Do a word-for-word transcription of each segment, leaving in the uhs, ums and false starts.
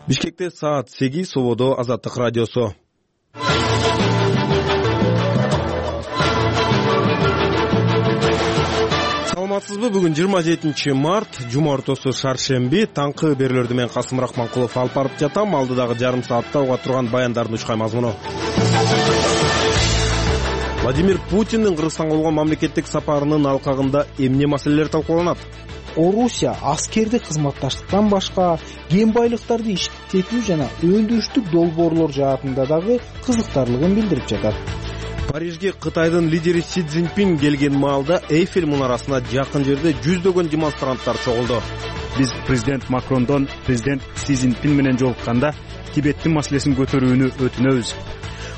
Бишкекте саат сегиз, Сободо Азаттык радиосу. Саламатсызбы? Бүгүн жыйырма жетинчи март, жума ортосу шаршемби. Таңкы берүүлөрдү мен Касым Рахманкулов алып барып жатам. Алдыдагы жарым саатта уга турган баяндардын учкай мазмуну. Владимир Путиндин Кыргызстанга болгон мамлекеттик сапарынын алкагында эмне маселелер талкууланат? Орусия аскердик кызматташтыктан башка кен байлыктарды иштетүү жана өндүрүштүк долбоорлор жаатында дагы кызыктарлыгын билдирип жатат. Парижге Кытайдын лидери Си Цзиньпин келген маалда Эйфель мунарасына жакын жерде жүздөгөн демонстранттар чогулду. Биз президент Макрондон президент Си Цзиньпин менен жолукканда Тибеттин маселесин көтөрүүнү өтүнөбүз.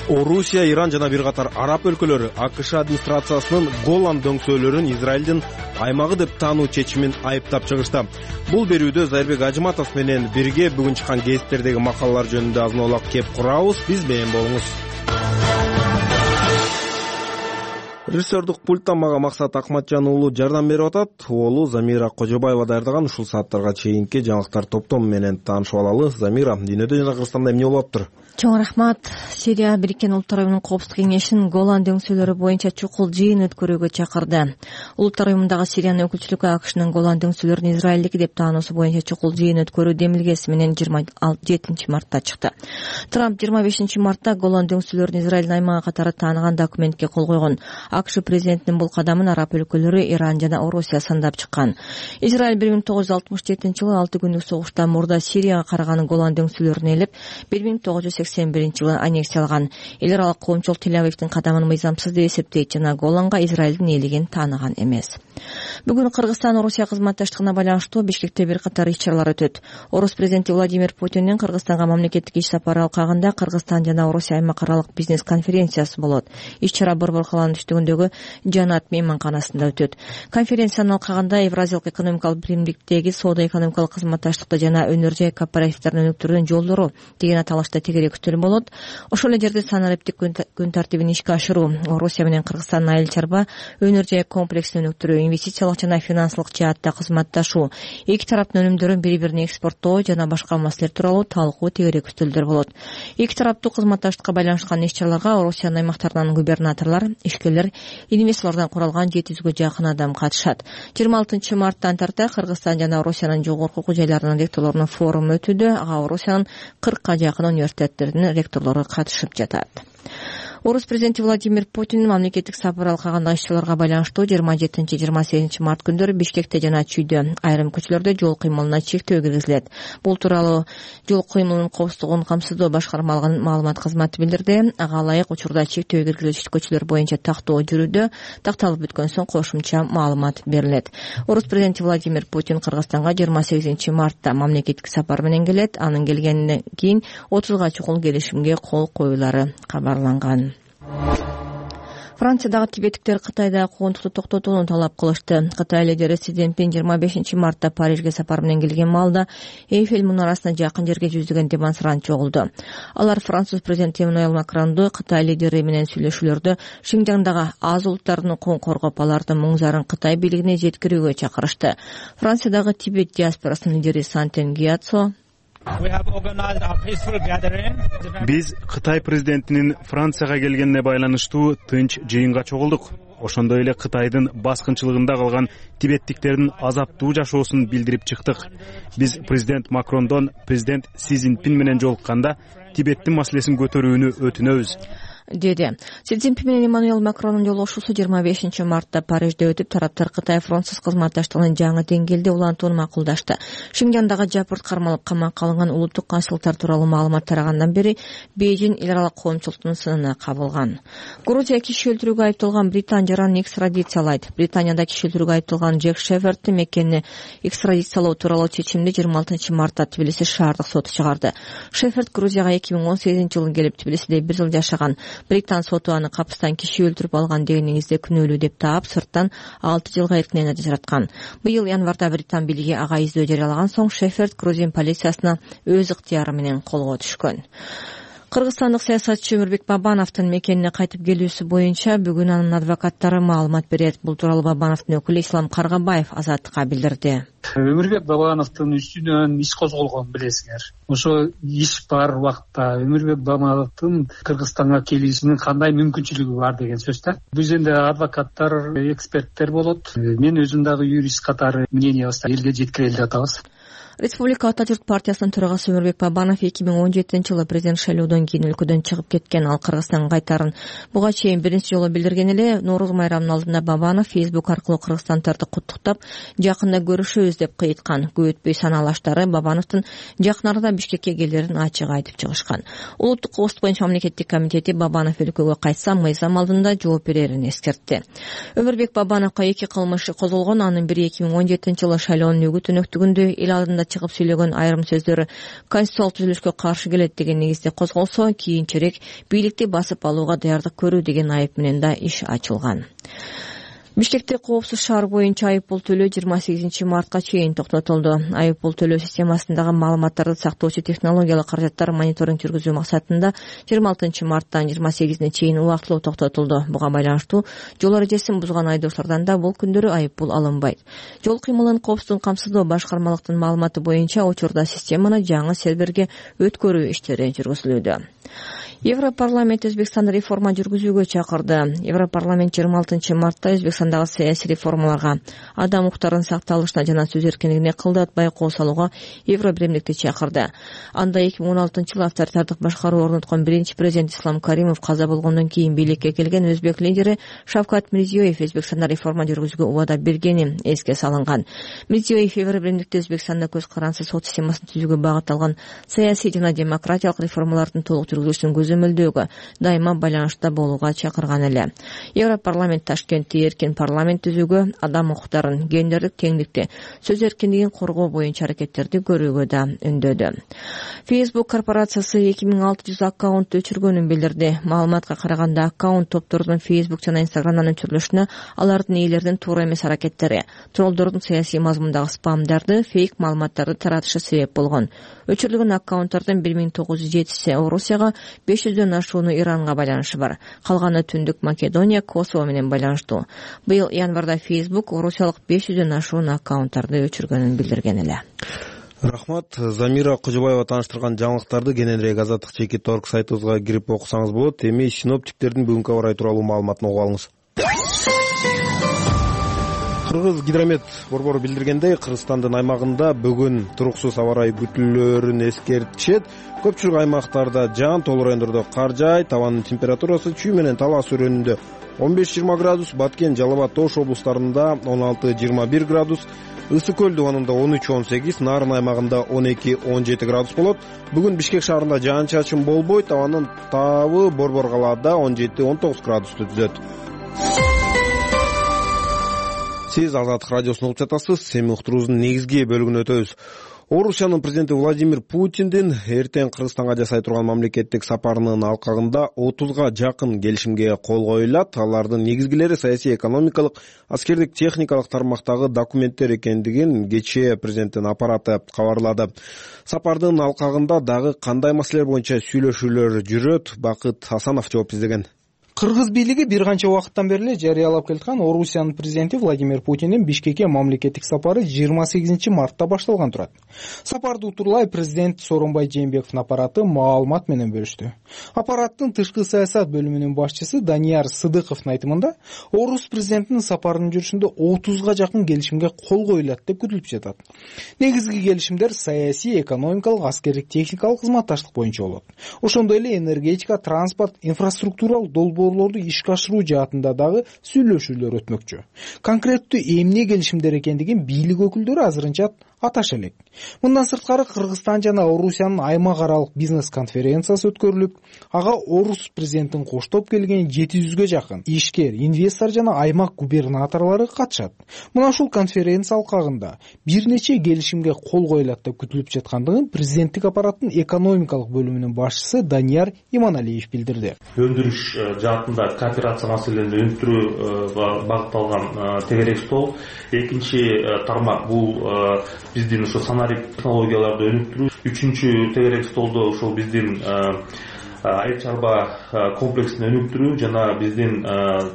Орусия, Иран жана бир катар араб өлкөлөрү АКШ администрациясынын Голан дөңсөөлөрүн Израилдин аймагы деп таануу чечимин айыптап чыгышты. Бул берүүдө Зайырбек Ажыматов менен бирге бүгүн чыккан гезиттердеги макалалар жөнүндө азын-аулак кеп курабыз. Биз менен болуңуз. Режиссердук пульттан мага Максат Акматжан уулу жардам берип атат. Оолу Замира Кожобаева даярдаган ушул сааттарга чейинки жаңылыктар топтому менен таанышып алалы. Замира, дүйнөдө жана Кыргызстанда эмне болуп атыптыр? Чоң рахмат. Сирия Бириккен Улуттар уюмунун Коопсуздук кеңешин Голан дөңсөөлөрү боюнча чукул жыйын өткөрүүгө чакырды. Улуттар уюмундагы Сириянын өкүлчүлүгү АКШнын Голан дөңсөөлөрүн Израилдики деп таануусу боюнча чукул жыйын өткөрүү демилгеси менен жыйырма жетинчи мартта чыкты. Трамп жыйырма бешинчи мартта Голан дөңсөөлөрүн Израилдин аймагы катары тааныган документке кол койгон. АКШ президентинин бул кадамын араб өлкөлөрү, Иран жана Орусия сандап чыккан. Израиль бир миң тогуз жүз алтымыш жетинчи жылы алты күндүк согуштан мурда Сирияга караган Голан дөңсөөлөрүн ээлеп, бир миң тогуз жүз сексен биринчи жылы аннексиялган. Эл аралык коомчулук Тель-Авивдин кадамын мыйзамсыз деп эсептейт жана Голанга Израилдин ээлигин тааныган эмес. Бүгүн Кыргызстан Орусия кызматташтыгына байланыштуу Бишкекте бир катар иш-чаралар өтөт. Орус президенти Владимир Путиндин Кыргызстанга мамлекеттик иш сапары алкагында Кыргызстан жана Орусия аймак аралык бизнес конференциясы болот. Иш-чара Борбор каланын түштүгүндөгү Жанат мейманканасында өтөт. Конференциянын алкагында Евразиялык экономикалык биримдиктеги соода-экономикалык кызматташтыкты жана өнөр жай кооперативдерин өнүктүрүүнүн жолдору деген аталышта тегерек күтүлүп болот. Ошол эле жерде санариптик күн тартибин ишке ашыруу, Орусия менен Кыргызстандын айыл чарба өнөр жай комплексин өнүктүрүү, инвестициялык жана финансылык жаатта кызматташуу, эки тараптын өнүмдөрүн бири-бирине экспорттоо жана башка маселелер тууралуу талкуу тегерек күтүлдөр болот. Эки тараптуу кызматташтыкка байланышкан иш-чараларга Орусиянын аймактарынан губернаторлор, ишкерлер, инвесторлордон куралган жети жүзгө жакын адам катышат. жыйырма алтынчы марттан тарта Кыргызстан жана Орусиянын жогорку окуу жайларынын ректорлорунун форуму өтүүдө. Ага Орусиянын кыркка жакын университеттеринин ректорлору катышып жатат. Орус президенти Владимир Путин мамлекеттик сапар алкагындагы иш-чараларга байланыштуу жыйырма жетинчи жыйырма сегизинчи март күндөрү Бишкекте жана Чүйдө айрым көчөлөрдө жол кыймылына чектөө киргизилет. Бул тууралуу жол кыймылынын коопсуздугун камсыздоо башкармалыгынын маалымат кызматы билдирди. Ага ылайык учурда чектөө киргизилүүчү көчөлөр боюнча тактоо жүрүүдө, такталып бүткөн соң кошумча маалымат берилет. Орус президенти Владимир Путин Кыргызстанга жыйырма сегизинчи мартта мамлекеттик сапар менен келет. Анын келгенден кийин отузга чукул келишимге кол коюлары кабарланган. Франциядагы тибеттиктер Кытайда куугунтукту токтотууну талап кылышты. Кытай лидери Си Цзиньпин жыйырма бешинчи мартта Парижге сапар менен келген маалда Эйфель мунарасына жакын жерге жүздөгөн демонстрант чогулду. Алар француз президенти Эммануэль Макронду Кытай лидери менен сүйлөшүүлөрдө Шинжаңдагы аз улуттардын укугун коргоп, алардын муңзарын Кытай бийлигине жеткирүүгө чакырышты. Франциядагы Тибет диаспорасынын лидери Сантен Гиацо Биз Кытай президентинин Францияга келгенине байланыштуу тынч жыйынга чогулдук. Ошондой эле Кытайдын баскынчылыгында калган тибеттиктердин азаптуу жашоосун билдирип чыктык. Биз президент Макрондон президент Си Цзиньпин менен жолукканда Тибеттин маселесин көтөрүүнү өтүнөбүз, деди. Си Цзиньпин менен Эммануэль Макрондун жолугушуусу жыйырма бешинчи мартта Парижде өтүп, тараптар Кытай-Француз кызматташтыгынын жаңы деңгээлде улантууну макулдашты. Шинжаңдагы жапырт кармалып камакка алынган улуттук консулдуктар тууралуу маалымат тарагандан бери Бейжин эл аралык коомчулуктун сынына кабылган. Грузия киши өлтүрүүгө айыпталган британ жаранын экстрадициялайт. Британияда киши өлтүрүүгө айыпталган Джек Шефердти Меккени экстрадициялоо тууралуу чечимди жыйырма алтынчы мартта Тбилиси шаардык соту чыгарды. Шеферд Грузияга эки миң он сегизинчи жылы келип Тбилисиде бир жыл жашаган. Британ соту аны капыстан киши өлтүрүп алган деген негизде күнөөлүү деп таап, сырттан алты жылга эркинен ажыраткан. Быйыл январда Британ бийлиги ага издөө жарыялаган соң Шеферд Грузин полициясына өз ыктыяры менен колго түшкөн. Кыргызстандык саясатчы Өмүрбек Бабановдун мекенине кайтып келүүсү боюнча бүгүн анын адвокаттары маалымат берет. Бул тууралуу Бабановдун өкүлү Ислам Каргабаев Азаттыкка билдирди. Өмүрбек Бабановдун үстүнөн иш козголгон, билесиңер. Ошо иш бар убакта Өмүрбек Бабановдун Кыргызстанга келишинин кандай мүмкүнчүлүгү бар деген сөз да. Биз энди адвокаттар, эксперттер болот. Мен өзүм дагы юрист катары мнениябызды элге жеткире жатабыз. Республика Ата журт партиясынын төрагасы Өмүрбек Бабанов эки миң он жетинчи жылы президент шайлоодон кийин өлкөдөн чыгып кеткен. Ал Кыргызстанга кайтарын буга чейин биринчи жолу билдирген эле. Нооруз майрамынын алдында Бабанов Facebook аркылуу кыргызстандарды куттуктап, жакында көрүшөбүз деп кыйткан. Көп өтпөй санаалаштары Бабановдун жакын арада Бишкекке келерин ачык айтып чыгышкан. Улуттук коопсуздук боюнча мамлекеттик комитети Бабанов өлкөгө кайтса мыйзам алдында жооп берерин эскертти. Өмүрбек Бабановго эки кылмыш козголгон. Анын бири эки миң он жетинчи жылы шайлоонун өгүт өнөктүгүндө эл алдында чыгып сүйлөгөн айрым сөздөрү конституциялык түзүлүшкө каршы келет деген негизде козголсо, кийинчерээк бийликти басып алууга даярдык көрүү деген айып менен да иш ачылган. Бишкекте коопсуз шаар боюнча айыппул төлөө жыйырма сегизинчи мартка чейин токтотулду. Айыппул төлөө системасындагы маалыматтарды сактоочу технологиялык каражаттар мониторинг жүргүзүү максатында жыйырма алтынчы марттан жыйырма сегизине чейин убактылуу токтотулду. Буга байланыштуу жол эрежесин бузган айдоочулардан да бул күндөрү айыппул алынбайт. Жол кыймылын коопсуздугун камсыздоо башкармалыктын маалыматы боюнча учурда системаны жаңы серверге өткөрүү иштери жүргүзүлүүдө. Европарламент Өзбекстанды реформа жүргүзүүгө чакырды. Европарламент жыйырма алтынчы мартта Өзбекстандагы саясий реформаларга, адам укуктарынын сакталышына жана сөз эркиндигине кылдат байкоо салууга Евро биримдикти чакырды. Анда эки миң он алтынчы жылы авторитардык башкаруу орноткон биринчи президент Ислам Каримов каза болгондон кийин бийликке келген өзбек лидери Шавкат Мирзиёев Өзбекстанда реформа жүргүзүүгө убада бергени эске салынган. Мирзиёев Евро биримдикте Өзбекстанда көз карансыз сот системасын түзүүгө багытталган саясий жана демократиялык реформалардын толук жүргүзүлүшүн көзөмөлдөөгө дайыма байланышта болууга чакырган эле. Европарламент Ташкентте эркин парламент түзүүгө, адам укуктарын, гендердик теңдикти, сөз эркиндигин коргоо боюнча аракеттерди көрүүгө да үндөдү. Facebook корпорациясы эки миң алты жүз аккаунт өчүргөнүн билдирди. Маалыматка караганда аккаунт топтордун Facebook жана Instagram'дан өчүрүлүшүнө алардын ээлеринин туура эмес аракеттери, троллдордун саясий мазмундагы спамдарды, фейк маалыматтарды таратышы себеп болгон. Өчүрүлгөн аккаунттардын бир миң тогуз жүз жетиси Орусияга, беш жүздөн ашууну Иранга байланышы бар. Калганы Түндүк Македония, Косово менен байланыштуу. Быйыл январда Facebook орусиялык беш жүздөн ашуун аккаунттарды өчүргөнүн билдирген эле. Рахмат. Замира Кожобаева тааныштырган жаңылыктарды кененирээк Азаттык чекит точка орг сайтыбызга кирип окусаңыз болот. Эми синоптиктердин бүгүнкү аба ырайы тууралуу маалыматын угуп алыңыз. Кыргыз гидромет борбору билдиргендей, Кыргызстандын аймагында бүгүн туруксуз аба ырайы күтүлөөрүн эскертишет. Көпчүлүк аймактарда жаан, тоолуу райондордо кар жаайт. Табанын температурасы чүй менен Талас өрөөнүндө он беш жыйырма градус, Баткен, Жалал абад, Ош облустарында он алты жыйырма бир градус, Ысык көл дубанында он үч он сегиз, Нарын аймагында он эки он жети градус болот. Бүгүн Бишкек шаарында жаан-чачын болбойт. Табанын табы Борбор калаада он жети он тогуз градусту түзөт. Сиз Азаттык радиосун угуп жатасыз. Эми уктуруубуздун негизги бөлүгүнө өтөбүз. Орусиянын президенти Владимир Путиндин эртең Кыргызстанга жасай турган мамлекеттик сапарынын алкагында отузга жакын келишимге кол коюлат. Алардын негизгилери саясий, экономикалык, аскердик, техникалык тармактагы документтер экендигин кечээ президенттин аппараты кабарлады. Сапардын алкагында дагы кандай маселелер боюнча сүйлөшүүлөр жүрөт? Бакыт Асанов жооп издеген. Кыргыз бийлиги бир канча убакыттан бери эле жарыялап келаткан Орусиянын президенти Владимир Путиндин Бишкекке мамлекеттик сапары жыйырма сегизинчи мартта башталган турат. Сапарды утурлай президент Сооронбай Жээнбековдун аппараты маалымат менен бөлүштү. Аппараттын тышкы саясат бөлүмүнүн башчысы Данияр Сыдыковдун айтымында, орус президентинин сапарынын жүрүшүндө отузга жакын келишимге кол коюлат деп күтүлүп жатат. Негизги келишимдер саясий, экономикалык, аскердик, техникалык кызматташтык боюнча болот. Ошондой эле энергетика, транспорт, инфраструктуралык долбоорлорду ишке ашыруу жаатында дагы сүйлөшүүлөр өтмөкчү. Конкреттүү эмне келишимдер экендигин бийлик өкүлдөрү азырынча аташа элек. Мындан сырткары Кыргызстан жана Орусиянын аймак аралык бизнес конференциясы өткөрүлүп, ага орус президентин коштоп келген жети жүзгө жакын ишкер, инвестор жана аймак губернаторлору катышат. Мына ушул конференция алкагында бир нече келишимге кол коюлат деп күтүлүп жаткандыгын президенттик аппараттын экономикалык бөлүмүнүн башчысы Данияр Иманалиев билдирди. Өндүрүш жаатында кооперация маселелерин өнүктүрүүгө багытталган тегерек стол. Экинчи тармак бул биздин ошо санарип технологияларды өнүктүрүү. Үчүнчү тегерек столдо ошол биздин айыл чарба комплексин өнүктүрүү жана биздин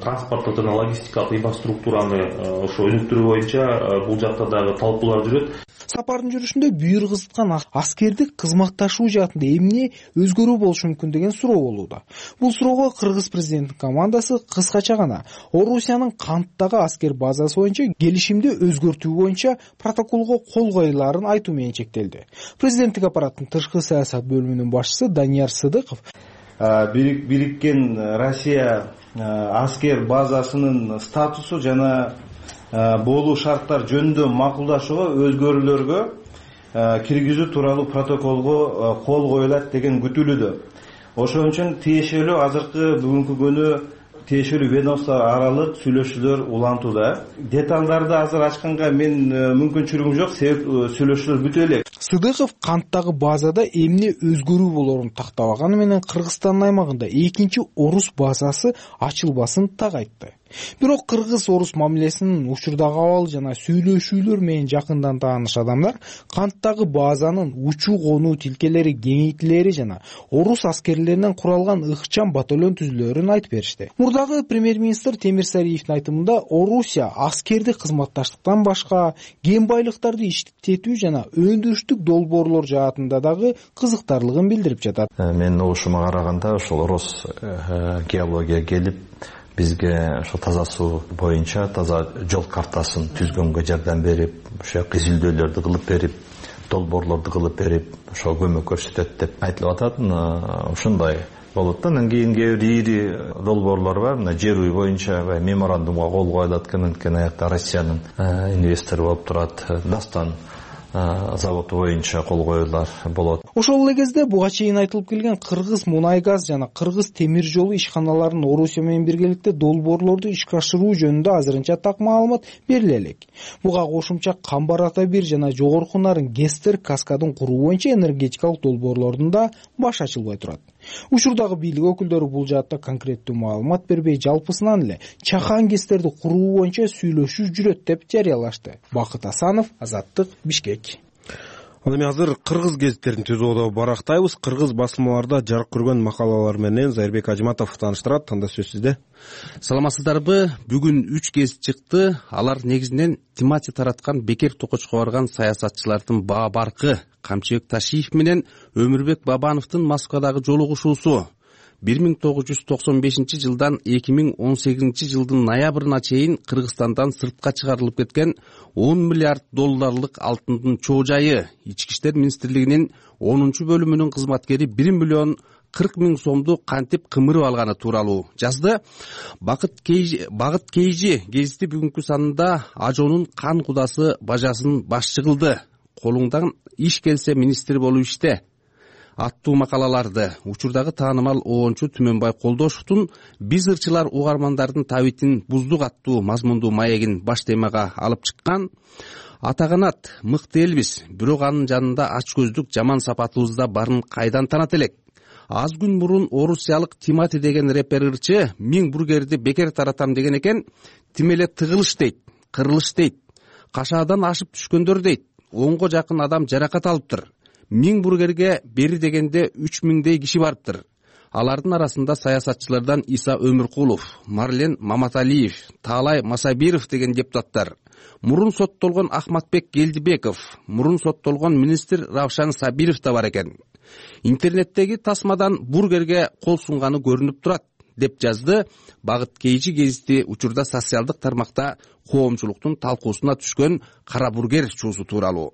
транспорттук жана логистикалык инфраструктураны ошо өнүктүрүү боюнча бул жакта дагы талкуулар жүрөт. Сапардын жүрүшүндө бүйүр кызыткан аскердик кызматташуу жаатында эмне өзгөрүү болушу мүмкүн деген суроо болууда. Бул суроого кыргыз президентинин командасы кыскача гана Орусиянын Канттагы аскер базасы боюнча келишимди өзгөртүү боюнча протоколго кол коюлаарын айтуу менен чектелди. Президенттик аппараттын тышкы саясат бөлүмүнүн башчысы Данияр Сыдыков бириккен Россия аскер базасынын статусу жана болуу шарттар жөнүндө макулдашууга өзгөрүүлөргө киргизүү тууралуу протоколго кол коюлат деген күтүлүүдө. Ошон үчүн тиешелүү азыркы бүгүнкү күнү тиешелүү ведомство аралык сүйлөшүүлөр улантууда. Деталдарды азыр ачканга мен мүмкүнчүлүгүм жок, себеп сүйлөшүүлөр бүтө элек. Сыдыков Канттагы базада эмне өзгөрүү болоорун тактабаганы менен Кыргызстандын аймагында экинчи орус базасы ачылбасын так айтты. Бирок кыргыз-орус мамилесинин учурдагы абалы жана сүйлөшүүлөр менен жакындан тааныш адамдар Канттагы базанын учуу конуу тилкелери кеңейтилери жана орус аскерлеринен куралган ыкчам батальон түзүлөрүн айтып беришти. Мурдагы премьер-министр Темир Сариевдин айтымында Орусия аскердик кызматташтыктан башка кен байлыктарды иштетүү жана өндүрүштүк долбоорлор жаатында дагы кызыктарлыгын билдирип жатат. Менин угушума караганда ошол орус геология келип бизге ошо таза суу боюнча таза жол картасын түзгөнгө жардам берип, ошо изилдөөлөрдү кылып берип, долбоорлорду кылып берип, ошо көмөк көрсөтөт деп айтылып атат. Ошондой болот да. Анан кийин кээ бир ири долбоорлор бар. Мына жер үй боюнча меморандумга кол коюлат экен, анткени аякта Россиянын инвестору болуп турат. Дастан заводу боюнча кол коюлар болот. Ошол эле кезде буга чейин айтылып келген кыргыз мунай газ жана кыргыз темир жолу ишканаларынын Орусия менен биргеликте долбоорлорду ишке ашыруу жөнүндө азырынча так маалымат бериле элек. Буга кошумча Камбар Ата бир жана жогорку нарын Гестер каскадын куруу боюнча энергетикалык долбоорлордун да баш ачылбай турат. Учурдагы бийлик өкүлдөрү бул жаатта конкреттүү маалымат бербей, жалпысынан эле чакан Гестерди куруу боюнча сүйлөшүү жүрөт деп жарыялашты. Бакыт Асанов, Азаттык, Бишкек. Ал эми азыр кыргыз гезиттерин түзүүдө барактайбыз. Кыргыз басылмаларда жарык көргөн макалалар менен Зайырбек Ажыматов тааныштырат. Анда сөз сизде. Саламатсыздарбы? Бүгүн үч гезит чыкты. Алар негизинен Тимати тараткан Бекер Токочко барган саясатчылардын Баа Баркы, Камчыбек Ташиев менен Өмүрбек Бабановдун Москвадагы жолугушуусу. бир миң тогуз жүз токсон бешинчи жылдан эки миң он сегизинчи жылдын ноябрына чейин Кыргызстандан сыртка чыгарылып кеткен он миллиард долларлык алтындын чоо жайы. Ички иштер министрлигинин онунчу бөлүмүнүн кызматкери бир миллион кырк миң сомду кантип кымырып алганы тууралуу жазды. Багыт Кейжи гезити бүгүнкү санында Ажонун кан кудасы бажасын башчы кылды. Колуңдан иш келсе министр болуп иште аттуу макалаларды учурдагы таанымал оончу Түмөнбай Колдошевдун «Биз ырчылар угармандардын табитин буздук» аттуу мазмундуу маегин баш темага алып чыккан. Атаганат мыкты элбиз, бирок анын жанында ач көздүк жаман сапатыбыз да барын кайдан танат элек. Аз күн мурун орусиялык Тимати деген репер ырчы миң бургерди бекер таратам деген экен. Тим эле тыгылыш дейт, кырылыш дейт, кашаадан ашып түшкөндөр дейт. Онго жакын адам жаракат алыптыр. Миң бургерге бери дегенде үч миңдей киши барыптыр. Алардын арасында саясатчылардан Иса Өмүркулов, Марлен Маматалиев, Таалай Масабиров деген депутаттар, мурун соттолгон Ахматбек Келдибеков, мурун соттолгон министр Равшан Сабиров да бар экен. Интернеттеги тасмадан бургерге кол сунганы көрүнүп турат деп жазды Багыт Кейжи гезити учурда социалдык тармакта коомчулуктун талкуусуна түшкөн кара бургер чуусу тууралуу.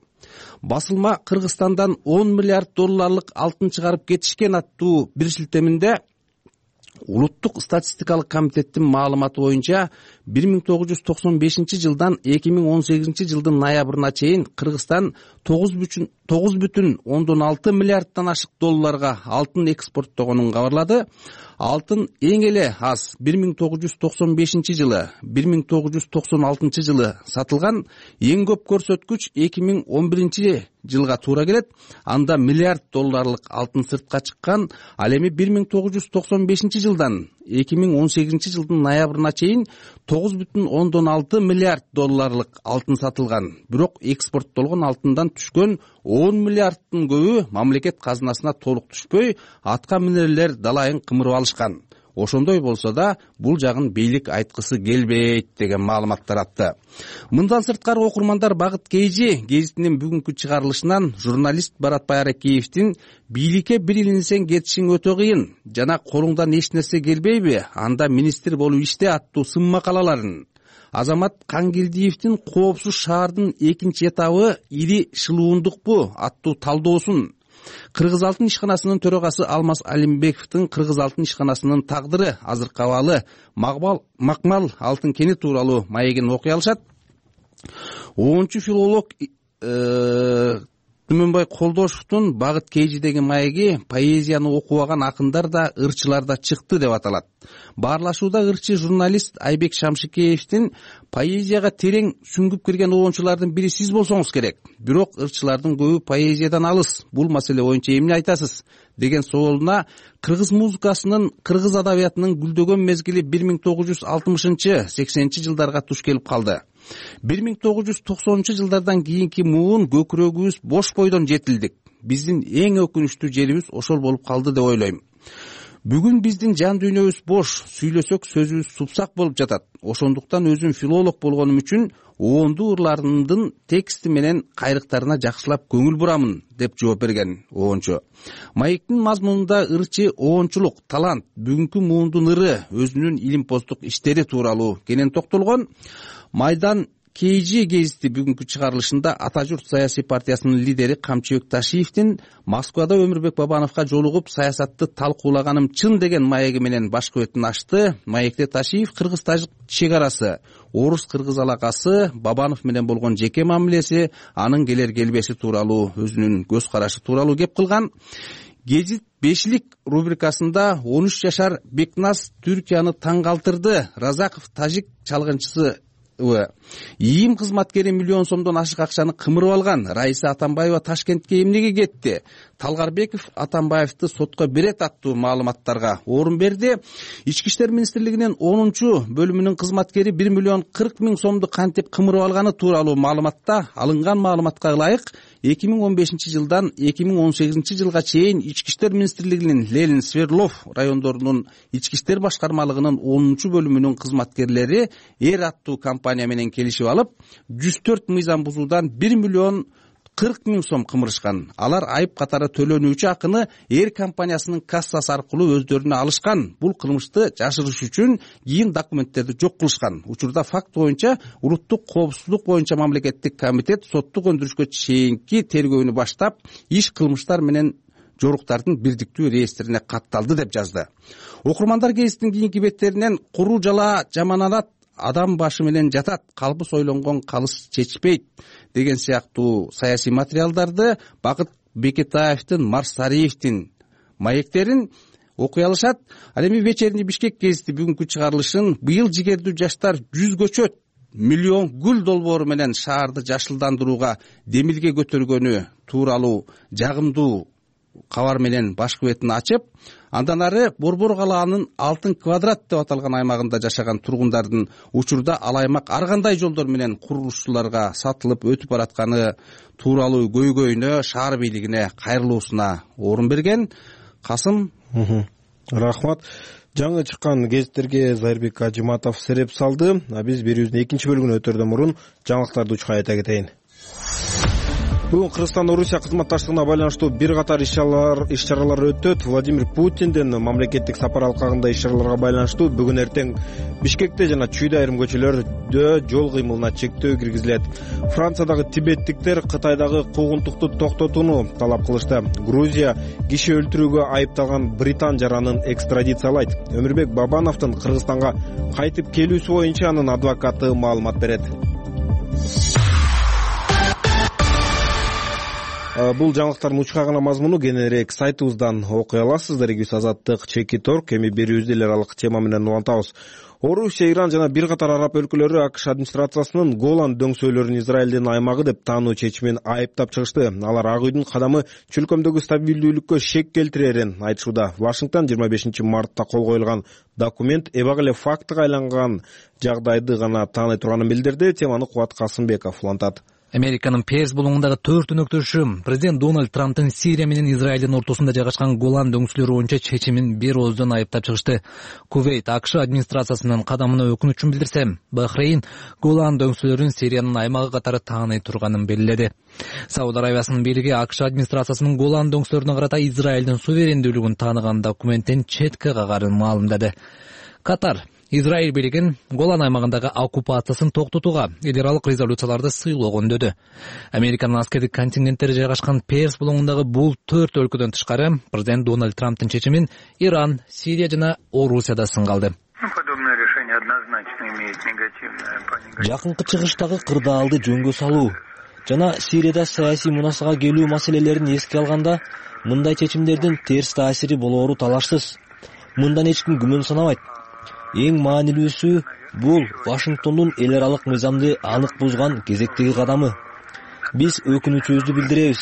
Басылма Кыргызстандан он миллиард долларлык алтын чыгарып кетишкен аттуу бир шилтеминде Улуттук статистикалык комитеттин маалыматы боюнча бир миң тогуз жүз токсон бешинчи жылдан эки миң он сегизинчи жылдын ноябрына чейин Кыргызстан тогуз бүтүн ондон алты миллиарддан ашык долларга алтын экспорттогонун кабарлады. Алтын эң эле аз бир миң тогуз жүз токсон бешинчи жылы, бир миң тогуз жүз токсон алтынчы жылы сатылган. Эң көп көрсөткүч эки миң он биринчи жылга туура келет. Анда миллиард долларлык алтын сыртка чыккан. Ал эми бир миң тогуз жүз токсон бешинчи жылдан эки миң он сегизинчи жылдын ноябрына чейин тогуз бүтүн ондон алты миллиард долларлык алтын сатылган. Бирок экспорттолгон алтындан түшкөн он миллиардтын көбү мамлекет казынасына толук түшпөй, атка минерлер далайын кымырып алышкан. Ошондой болсо да бул жагын бийлик айткысы келбейт деген маалымат таратты. Мындан сырткары окурмандар Багыт Кейжи гезитинин бүгүнкү чыгарылышынан журналист Баратбай Аракеевдин бийликке бир илинсең кетишиң өтө кыйын жана колуңдан эч нерсе келбейби, анда министр болуп иште аттуу сын макалаларын, Азамат Кангелдиевдин коопсуз шаардын экинчи этабы ири шылуундукпу аттуу талдоосун, Кыргыз алтын ишканасынын төрагасы Алмаз Алимбековдун Кыргыз алтын ишканасынын тагдыры азыркы абалы макмал алтын кени тууралуу маегин окуй алышат. онунчу филолог Түмөнбай Колдошевдун Багыт Кейжи деген маеги поэзияны окубаган акындар да, ырчылар да чыкты деп аталат. Баарлашууда ырчы журналист Айбек Шамшикеевдин поэзияга терең сүңгүп кирген оончулардын бири сиз болсоңуз керек. Бирок ырчылардын көбү поэзиядан алыс. Бул маселе боюнча эмне айтасыз? Деген соолуна кыргыз музыкасынын, кыргыз адабиятынын гүлдөгөн мезгили бир миң тогуз жүз алтымышынчы сексенинчи жылдарга туш келип калды. бир миң тогуз жүз токсонунчу жылдардан кийинки муун көкүрөгүбүз бош бойдон жетилдик. Биздин эң өкүнүчтүү жерибиз ошол болуп калды деп ойлойм. Бүгүн биздин жан дүйнөбүз бош, сүйлөсөк сөзүбүз супсак болуп жатат. Ошондуктан өзүм филолог болгонум үчүн оондуу ырларымдын тексти менен кайрыктарына жакшылап көңүл бурамын деп жооп берген оончу. Маектин мазмунунда ырчы оончулук, талант, бүгүнкү муундун ыры, өзүнүн илимпоздук иштери тууралуу кенен токтолгон. Майдан Кейжи гезити бүгүнкү чыгарылышында Ата журт саясий партиясынын лидери Камчыбек Ташиевдин Москвада Өмүрбек Бабановго жолугуп саясатты талкуулаганым чын деген маеги менен башкы бетин ачты. Маекте Ташиев кыргыз-тажик чек арасы, орус-кыргыз алакасы, Бабанов менен болгон жеке мамилеси, анын келер келбеси тууралуу, өзүнүн көз карашы тууралуу кеп кылган. Гезит бешлик рубрикасында он үч жашар Бекназ Түркияны таң калтырды. Разаков тажик чалгынчысы ИИМ кызматкери миллион сомдон ашык акчаны кымырып алган. Раиса Атамбаева Ташкентке эмнеге кетти? Талгарбеков Атамбаевди сотко берет аттуу маалыматтарга орун берди. Ички иштер министрлигинин онунчу бөлүмүнүн кызматкери бир миллион кырк миң сомду кантип кымырып алганы тууралуу маалыматта алынган маалыматка ылайык эки миң он бешинчи жылдан эки миң он сегизинчи жылга чейин Ички иштер министрлигинин Ленин, Свердлов райондорунун ички иштер башкармалыгынын онунчу бөлүмүнүн кызматкерлери Эр аттуу компания менен келишип алып, жүз төрт мыйзам бузуудан бир миллион кырк миң сом кымырышкан. Алар айып катары төлөнүүчү акыны Эр компаниясынын кассасы аркылуу өздөрүнө алышкан. Бул кылмышты жашырыш үчүн кийин документтерди жок кылышкан. Учурда факт боюнча улуттук коопсуздук боюнча мамлекеттик комитет соттук өндүрүшкө чейинки тергөөнү баштап, иш кылмыштар менен жоруктардын бирдиктүү реестрине катталды деп жазды. Окурмандар гезитинин кийинки беттеринен куру жала жаманат адам башы менен жатат, калбыс ойлонгон калыс чечпейт деген сыяктуу саясий материалдарды Багыт Бекетаевдин, Марсариевдин маектерин окуй алышат. Ал эми вечерний Бишкек гезити бүгүнкү чыгарылышын быйыл жигердүү жаштар жүз көчөт, миллион гүл долбоору менен шаарды жашылдандырууга демилге көтөргөнү тууралуу жагымдуу кабар менен башкы бетин ачып, андан ары Борбор калаанын Алтын квадрат деп аталган аймагында жашаган тургундардын учурда ал аймак ар кандай жолдор менен курулушчуларга сатылып өтүп баратканы тууралуу көйгөйүнө, шаар бийлигине кайрылуусуна орун берген. Касым, рахмат. Жаңы чыккан гезиттерге Зайырбек Ажыматов сереп салды. А биз берүүбүздүн экинчи бөлүгүнө өтөрдөн мурун жаңылыктарды учка айта кетейин. Бүгүн Кыргызстан Орусия кызматташтыгына байланыштуу бир катар иш-чаралар өтөт. Владимир Путиндин мамлекеттик сапар алкагында иш-чараларга байланыштуу бүгүн эртең Бишкекте жана Чүйдө айрым көчөлөрдө жол кыймылына чектөө киргизилет. Франциядагы тибеттиктер Кытайдагы куугунтукту токтотууну талап кылышты. Грузия киши өлтүрүүгө айыпталган британ жаранын экстрадициялайт. Өмүрбек Бабановдун Кыргызстанга кайтып келүүсү боюнча анын адвокаты маалымат берет. Кыргызстан Орусия кызматташтыгына байланыштуу бир катар иш-чаралар өтөт. Владимир Путиндин мамлекеттик сапар алкагында иш-чараларга байланыштуу бүгүн эртең Бишкекте жана Чүйдө айрым көчөлөрдө жол кыймылына чектөө киргизилет. Франциядагы тибеттиктер Кытайдагы куугунтукту токтотууну талап кылышты. Грузия киши өлтүрүүгө айыпталган британ жаранын экстрадициялайт. Өмүрбек Бабановдун Кыргызстанга кайтып келүүсү боюнча анын адвокаты маалымат берет. Бул жаңылыктардын учка гана мазмуну кененирээк сайтыбыздан окуй аласыздар. Эгибиз Азаттык, Чекит орг. Эми берүүбүздү эл аралык тема менен улантабыз. Орусия, Иран жана бир катар араб өлкөлөрү АКШ администрациясынын Голан дөңсөөлөрүн Израилдин аймагы деп таануу чечимин айыптап чыгышты. Алар Ак үйдүн кадамы чөлкөмдөгү стабилдүүлүккө шек келтирерин айтышууда. Вашингтон жыйырма бешинчи мартта кол коюлган документ эбак эле фактыга айланган жагдайды гана тааный турганын билдирди. Теманы Кубат Касымбеков улантат. Американын Перс булуңундагы төрт өнөктөшү президент Дональд Трамптын Сирия менен Израилдин ортосунда жайгашкан Голан дөңсөөлөрү боюнча чечимин бир ооздон айыптап чыгышты. Кувейт АКШ администрациясынын кадамына өкүнүчүн билдирсе, Бахрейн Голан дөңсөөлөрүн Сириянын аймагы катары тааный турганын белгиледи. Сауд Аравиясынын бийлиги АКШ администрациясынын Голан дөңсөөлөрүнө карата Израилдин суверендүүлүгүн тааныган документтен четке кагарын маалымдады. Катар Израиль бийлигин Голан аймагындагы оккупациясын токтотууга эл аралык резолюцияларды сыйлоого үндөдү. Американын аскердик контингенттери жайгашкан Перс булуңундагы бул төрт өлкөдөн тышкары президент Дональд Трамптын чечимин Иран, Сирия жана Орусияда сынга алды. Жакынкы чыгыштагы кырдаалды жөнгө салуу жана Сирияда саясий мунасага келүү маселелерин эске алганда мындай чечимдердин терс таасири болоору талашсыз. Мындан эч ким күмөн санабайт. Эң маанилүүсү бул Вашингтондун эл аралык мыйзамды анык бузган кезектеги кадамы. Биз өкүнүчүбүздү билдиребиз,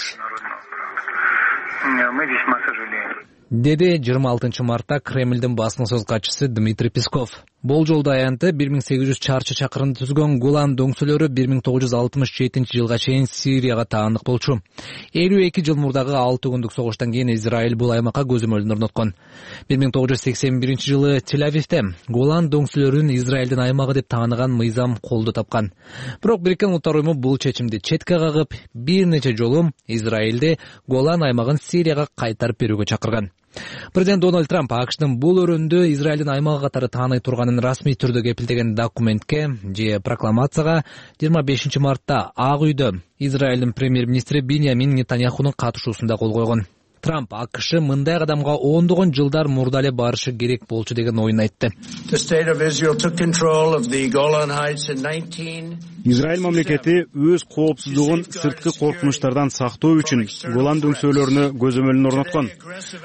деди жыйырма алтынчы мартта Кремлдин басма сөз катчысы Дмитрий Песков. Болжолду аянты бир миң сегиз жүз чарчы чакырымды түзгөн Голан дөңсөөлөрү бир миң тогуз жүз алтымыш жетинчи жылга чейин Сирияга таандык болчу. элүү эки жыл мурдагы алты күндүк согуштан кийин Израиль бул аймакка көзөмөлүн орноткон. бир миң тогуз жүз сексен биринчи жылы Тель-Авивде Голан дөңсөөлөрүн Израилдин аймагы деп тааныган мыйзам колдо тапкан. Бирок Бириккен Улуттар уюму бул чечимди четке кагып, бир нече жолу Израилди Голан аймагын Сирияга кайтарып берүүгө чакырган. Президент Дональд Трамп АКШдын бул өрөөндө Израилдин аймагы катары тааный турганын расмий түрдө кепилдеген документке же прокламацияга жыйырма бешинчи мартта Ак үйдө Израилдин премьер-министри Биньямин Нетаньяхунун катышуусунда кол койгон. Трамп АКШ мындай кадамга ондогон жылдар мурда эле барышы керек болчу деген оюн айтты. Израиль мамлекети өз коопсуздугун сырткы коркунучтардан сактоо үчүн Голан дөңсөөлөрүнө көзөмөлүн орноткон.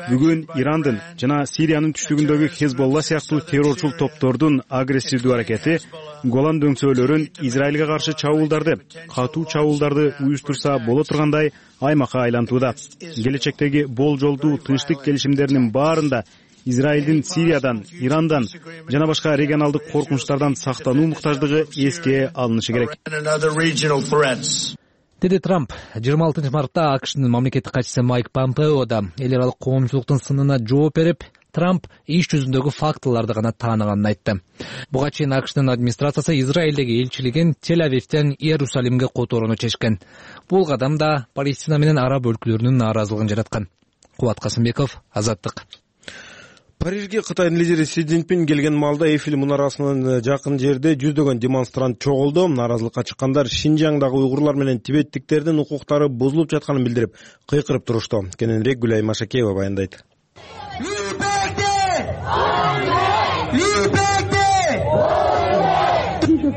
Бүгүн Ирандын жана Сириянын түштүгүндөгү Хезболла сыяктуу террорчул топтордун агрессивдүү аракети Голан дөңсөөлөрүн Израилге каршы чабуулдарды, катуу чабуулдарды уюштурса боло тургандай аймакка айлантууда. Келечектеги болжолдуу тынчтык келишимдеринин баарында Израилдин Сириядан, Ирандан жана башка регионалдык коркунучтардан сактануу муктаждыгы эске алынышы керек, деди Трамп. жыйырма алтынчы мартта АКШдын мамлекеттик катчысы Майк Помпео да эл аралык коомчулуктун сынына жооп берип, Трамп иш жүзүндөгү фактыларды гана тааныганын айтты. Буга чейин АКШдын администрациясы Израилдеги элчилигин Тель-Авивден Иерусалимге которууну чечкен. Бул кадам да Палестина менен араб өлкөлөрүнүн нааразылыгын жараткан. Кубат Касымбеков, Азаттык. Парижге Кытайдын лидери Си Цзиньпин келген маалда Эйфель мунарасынын жакын жерде жүздөгөн демонстрант чогулду. Нааразылыкка чыккандар Шинжаңдагы уйгурлар менен тибеттиктердин укуктары бузулуп жатканын билдирип, кыйкырып турушту. Кененирээк Гүлай Машакеева баяндайт.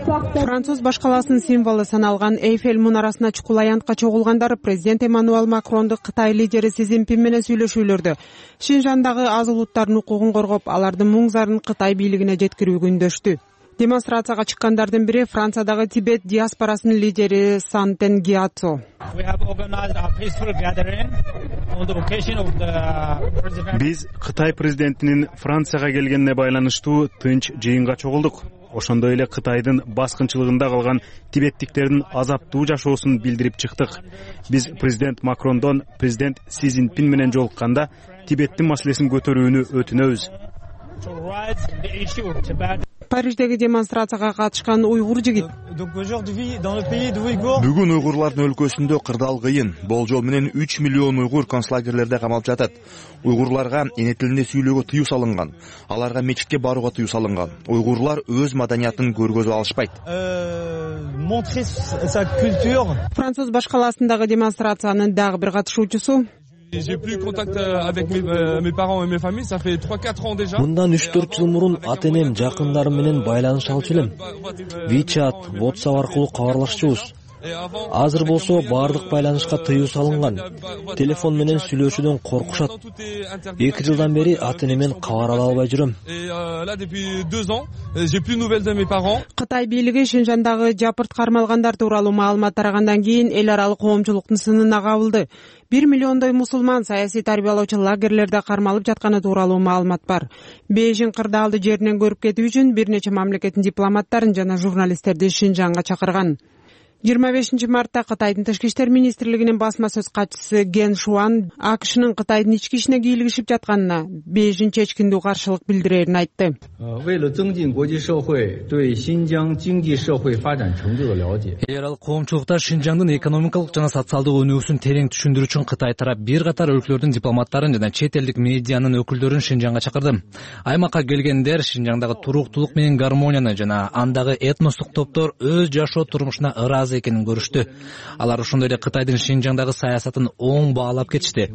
Француз башкаласынын символу саналган Эйфель мунарасына чукул аянтка чогулгандар президент Эммануэль Макронду Кытай лидери Си Цзиньпин менен сүйлөшүүлөрдө Шинжаңдагы аз улуттардын укугун коргоп, алардын муң зарын Кытай бийлигине жеткирүүгө үндөштү. Демонстрацияга чыккандардын бири Франциядагы Тибет диаспорасынын лидери Сантен Гиацо. Биз Кытай президентинин Францияга келгенине байланыштуу тынч жыйынга чогулдук. Ошондой эле Кытайдын баскынчылыгында калган тибеттиктердин азаптуу жашоосун билдирип чыктык. Биз президент Макрондон президент Си Цзиньпин менен жолукканда Тибеттин маселесин көтөрүүнү өтүнөбүз. Париждеги демонстрацияга катышкан уйгур жигит. Бүгүн уйгурлардын өлкөсүндө кырдаал кыйын. Болжол менен үч миллион уйгур концлагерлерде камалып жатат. Уйгурларга эне тилинде сүйлөөгө тыюу салынган. Аларга мечитке барууга тыюу салынган. Уйгурлар өз маданиятын көргөзүп алышпайт. Француз башкаласындагы демонстрациянын дагы бир катышуучусу Мындан үч төрт жыл мурун ата-энем, жакындарым менен байланыша алчу элем. WeChat, WhatsApp аркылуу кабарлашчубуз. Азыр болсо баардык байланышка тыюу салынган. Телефон менен сүйлөшүүдөн коркушат. Эки жылдан бери ата-энемен кабар ала албай жүрөм. Кытай бийлиги Шинжандагы жапырт кармалгандар тууралуу маалымат тарагандан кийин эл аралык коомчулуктун сынына кабылды. Бир миллиондой мусулман саясий тарбиялоочу лагерлерде кармалып жатканы тууралуу маалымат бар. Бейжиң кырдаалды жеринен көрүп кетүү үчүн бир нече мамлекеттин дипломаттарын жана журналисттерди Шинжанга чакырган. жыйырма бешинчи мартта Кытайдын Тышкы иштер министрлигинин басма сөз катчысы Ген Шуан АКШнын Кытайдын ички ишине кийлигишип жатканына Бейжиң чечкиндүү каршылык билдирерин айтты. Эл аралык коомчулукта Шинжаңдын экономикалык жана социалдык өнүгүүсүн терең түшүндүрүү үчүн Кытай тарап бир катар өлкөлөрдүн дипломаттарын жана чет элдик медианын өкүлдөрүн Шинжаңга чакырды. Аймакка келгендер Шинжаңдагы туруктуулук менен гармонияны жана андагы этностук топтор өз жашоо турмушуна ыраазы экенин көрүштү. Алар ошондой эле Кытайдын Шинжаңдагы саясатын оң баалап кетишти.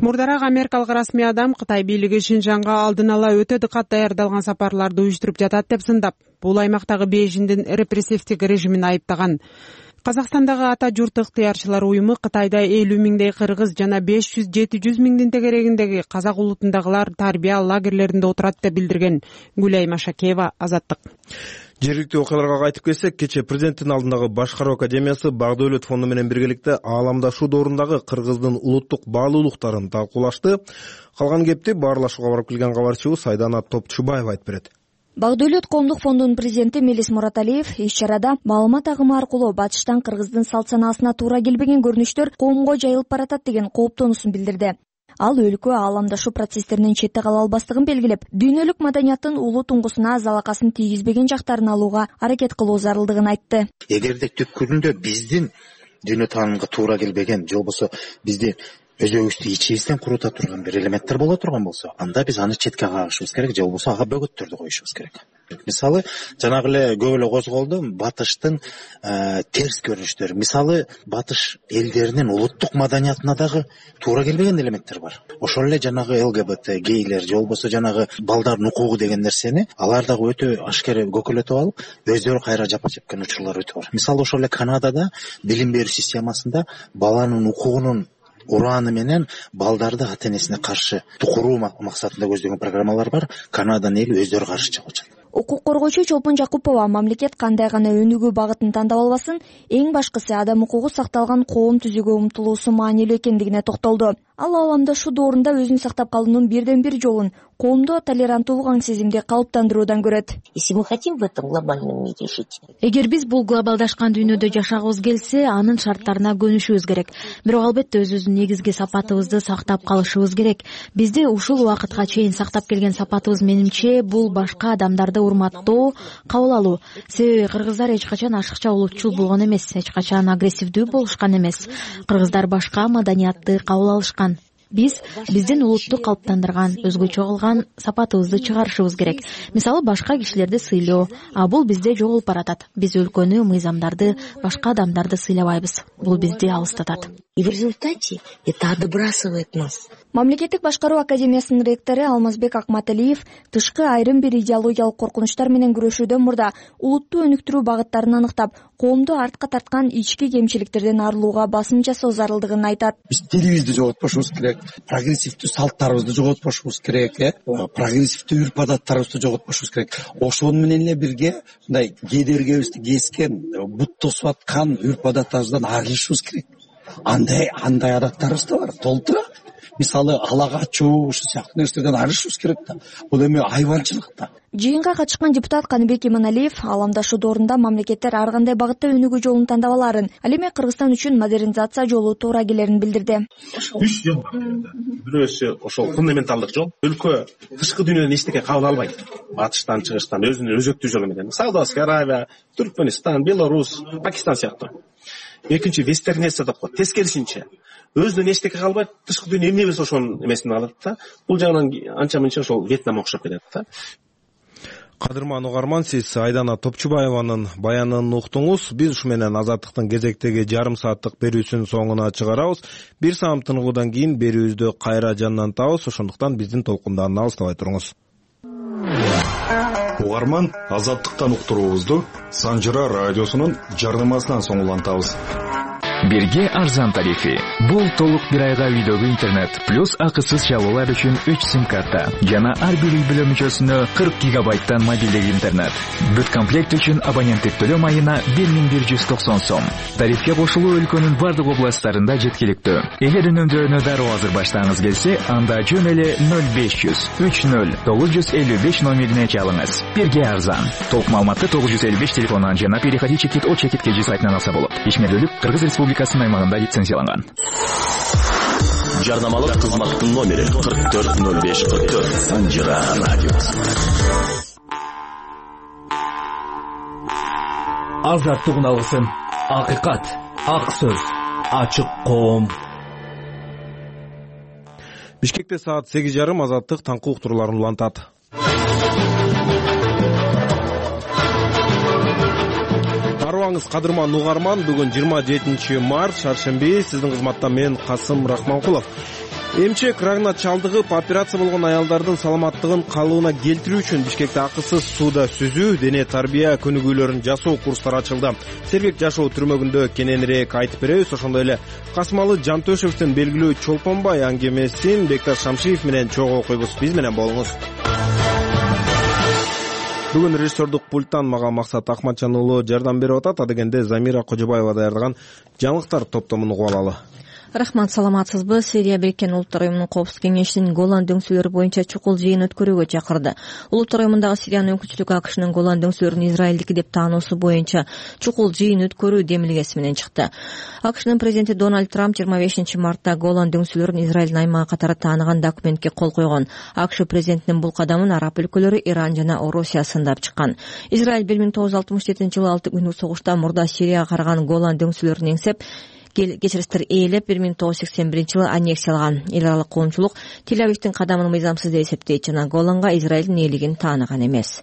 Мурдараак америкалык расмий адам Кытай бийлиги Шинжаңга алдын ала өтө дыкат даярдалган сапарларды уюштуруп жатат деп сындап, бул аймактагы Бейжиңдин репрессивдик режимин айыптаган. Казакстандагы ата журт ыктыярчылар уюму Кытайда элүү миңдей кыргыз жана беш жүз жети жүз миңдин тегерегиндеги казак улутундагылар тарбия лагерлеринде отурат деп билдирген. Гүлай Машакеева, Азаттык. Жергиликтүү окуяларга кайтып келсек, кечээ президенттин алдындагы башкаруу академиясы Бак-Дөөлөт фонду менен биргеликте ааламдашуу доорундагы Кыргыздын улуттук баалуулуктарын талкуулашты. Калган кепти баарлашууга барып келген кабарчыбыз Айдана Топчубаева айтып берет. Бак-Дөөлөт коомдук фондунун президенти Мелис Мураталиев иш-чарада маалымат агымы аркылуу батыштан Кыргыздын салт санаасына туура келбеген көрүнүштөр коомго жайылып баратат деген кооптонуусун билдирди. Ал өлкө ааламдашуу процесстеринен четте кала албастыгын белгилеп, дүйнөлүк маданияттын улуу туңгусуна залакасын тийгизбеген жактарын алууга аракет кылуу зарылдыгын айтты. Эгерде түпкүрүндө биздин дүйнө таанымга туура келбеген, же болбосо бизди өзүбүздү ичибизден курута турган бир элементтер боло турган болсо, анда биз аны четке кагышыбыз керек, же болбосо ага бөгөттөрдү коюшубуз керек. Мисалы, жанагы эле көп эле козголду батыштын терс көрүнүштөрү. Мисалы, батыш элдеринин улуттук маданиятына дагы туура келбеген элементтер бар. Ошол эле жанагы ЛГБТ, гейлер, же болбосо жанагы балдардын укугу деген нерсени алар дагы өтө ашкер көкөлөтүп алып, өздөрү кайра жапа чеккен учурлар өтө бар. Мисалы, ошол эле Канадада билим берүү системасында баланын укугунун ураны менен балдарды ата-энесине каршы тукуруу максатында көздөгөн программалар бар. Канаданын эли өздөрү каршы чыгып атат. Укук коргоочу Чолпон Жакупова мамлекет кандай гана өнүгүү багытын тандап албасын, эң башкысы адам укугу сакталган коом түзүүгө умтулуусу маанилүү экендигине токтолду. Ал ааламдашуу доорунда өзүн сактап калуунун бирден бир жолун коомдо толеранттуулук аң сезимди калыптандыруудан көрөт. Если мы хотим в этом глобальном мире жить. Эгер биз бул глобалдашкан дүйнөдө жашагыбыз келсе, анын шарттарына көнүшүбүз керек. Бирок албетте өзүбүздүн негизги сапатыбызды сактап калышыбыз керек. Бизди ушул убакытка чейин сактап келген сапатыбыз менимче бул башка адамдарды урматтоо, кабыл алуу. Себеби кыргыздар эч качан ашыкча улутчул болгон эмес, эч качан агрессивдүү болушкан эмес. Кыргыздар башка маданиятты кабыл алышкан. Биз биздин улутту калыптандырган, өзгөчө кылган сапатыбызды чыгарышыбыз керек. Мисалы, башка кишилерди сыйлоо, а бул бизде жоголуп баратат. Биз өлкөнү, мыйзамдарды, башка адамдарды сыйлабайбыз. Бул бизди алыстатат. И в результате это отбрасывает нас. Мамлекеттик башкаруу академиясынын ректору Алмазбек Акматалиев тышкы айрым бир идеологиялык коркунучтар менен күрөшүүдөн мурда улутту өнүктүрүү багыттарын аныктап, коомду артка тарткан ички кемчиликтерден арылууга басым жасоо зарылдыгын айтат. Биз тилибизди жоготпошубуз керек, прогрессивдүү салттарыбызды жоготпошубуз керек, э, прогрессивдүү үрп адаттарыбызды жоготпошубуз керек. Ошону менен эле бирге мындай кедергибизди кескен, бут тосуп аткан үрп адаттарыбыздан арылышыбыз керек. Андай андай адаттарыбыз да бар, толтура. Мисалы, ала качуу, ушул сыяктуу нерселерден арылышыбыз керек да. Бул эми айванчылык да. Жыйынга катышкан депутат Каныбек Иманалиев ааламдашуу доорунда мамлекеттер ар кандай багытта өнүгүү жолун тандап аларын, ал эми Кыргызстан үчүн модернизация жолу туура келерин билдирди. Үч жол бар. Бирөөсү ошол фундаменталдык жол. Өлкө тышкы дүйнөдөн эчтеке кабыл албайт. Батыштан, чыгыштан өзүнүн өзөктүү жолу менен. Саудовская Аравия, Түркмөнстан, Беларусь, Пакистан сыяктуу. Экинчи вестернизация деп коет. Тескерисинче өзүнөн эчтеке калбайт, тышкы дүйнө эмне болсо ошонун эмесин алат да. Бул жагынан анча-мынча ошол Вьетнам окшоп кетет да. Кадырман угарман, сиз Айдана Топчубаеванын баянын уктуңуз. Биз ушу менен Азаттыктын кезектеги жарым сааттык берүүсүнүн соңуна чыгарабыз. Бир саам тыныгуудан кийин берүүбүздү кайра жандан табыз, ошондуктан биздин толкундан алыстабай туруңуз. угарман, Азаттыктан уктуруубузду Санжыра радиосунун жарнамасынан соң улантабыз. Бирге арзан тарифи. Бул толук бир айга үйдөгү интернет плюс акысыз чалуулар үчүн үч сим карта жана ар бир үй бүлө мүчөсүнө кырк гигабайттан мобилдик интернет. Бүт комплект үчүн абоненттик төлөм айына бир миң бир жүз токсон сом. Тарифке кошулуу өлкөнүн бардык областтарында жеткиликтүү. Эгер үнөмдөрүнө дароо азыр баштагыңыз келсе, анда жөн эле ноль беш жүз үч ноль тогуз жүз элүү беш номерине чалыңыз. Бирге арзан. Толук маалыматты тогуз жүз элүү беш телефонунан жана переходи чекит о чекит кж сайтынан алса болот. Ишмердүүлүк Кыргыз Республикасынын аймагында лицензияланган. Жарнамалык кызматтын номери кырк төрт ноль беш кырк төрт. Санжыра радиосы. Азаттык алгысын. Акыйкат, ак сөз, ачык коом. Бишкекте саат сегиз жарым Азаттык таңкы уктурууларын улантат. Арыбаңыз кадырман угарман, бүгүн жыйырма жетинчи март, шаршемби. Сиздин кызматта мен Касым Рахманкулов. Эмчек рагына чалдыгып, операция болгон аялдардын саламаттыгын калыбына келтирүү үчүн Бишкекте акысыз сууда сүзүү, дене тарбия көнүгүүлөрүн жасоо курстары ачылды. Сергек жашоо түрмөгүндө кененирээк айтып беребиз. Ошондой эле Касымалы Жантөшевдин белгилүү Чолпонбай аңгемесин Бекташ Шамшиев менен чогуу окуйбуз. Биз менен болуңуз. Бүгүн режиссердук пульттан мага Максат Акматжан уулу жардам берип атат. Адегенде Замира Кожобаева даярдаган жаңылыктар топтомун угуп алалы. Рахмат, саламатсызбы? Сирия Бириккен Улуттар уюмунун Коопсуздук кеңешинин Голан дөңсөлөрү боюнча чукул жыйын өткөрүүгө чакырды. Улуттар уюмундагы Сириянын өкүлчүлүгү АКШнын Голан дөңсөлөрүн Израилдики деп таануусу боюнча чукул жыйын өткөрүү демилгеси менен чыкты. АКШнын президенти Дональд Трамп жыйырма бешинчи мартта Голан дөңсөлөрүн Израилдин аймагы катары тааныган документке кол койгон. АКШ президентинин бул кадамын араб өлкөлөрү, Иран жана Орусия сындап чыккан. Израиль бир миң тогуз жүз алтымыш жетинчи жылы алты күндүк согушта мурда Сирияга караган Голан дөңсөлөрүн еңсеп, кечиристер ээлеп бир миң тогуз жүз сексен биринчи жылы аннексиялган. Эл аралык коомчулук Тель-Авивдин кадамын мыйзамсыз деп эсептейт жана Голанга Израилдин ээлигин тааныган эмес.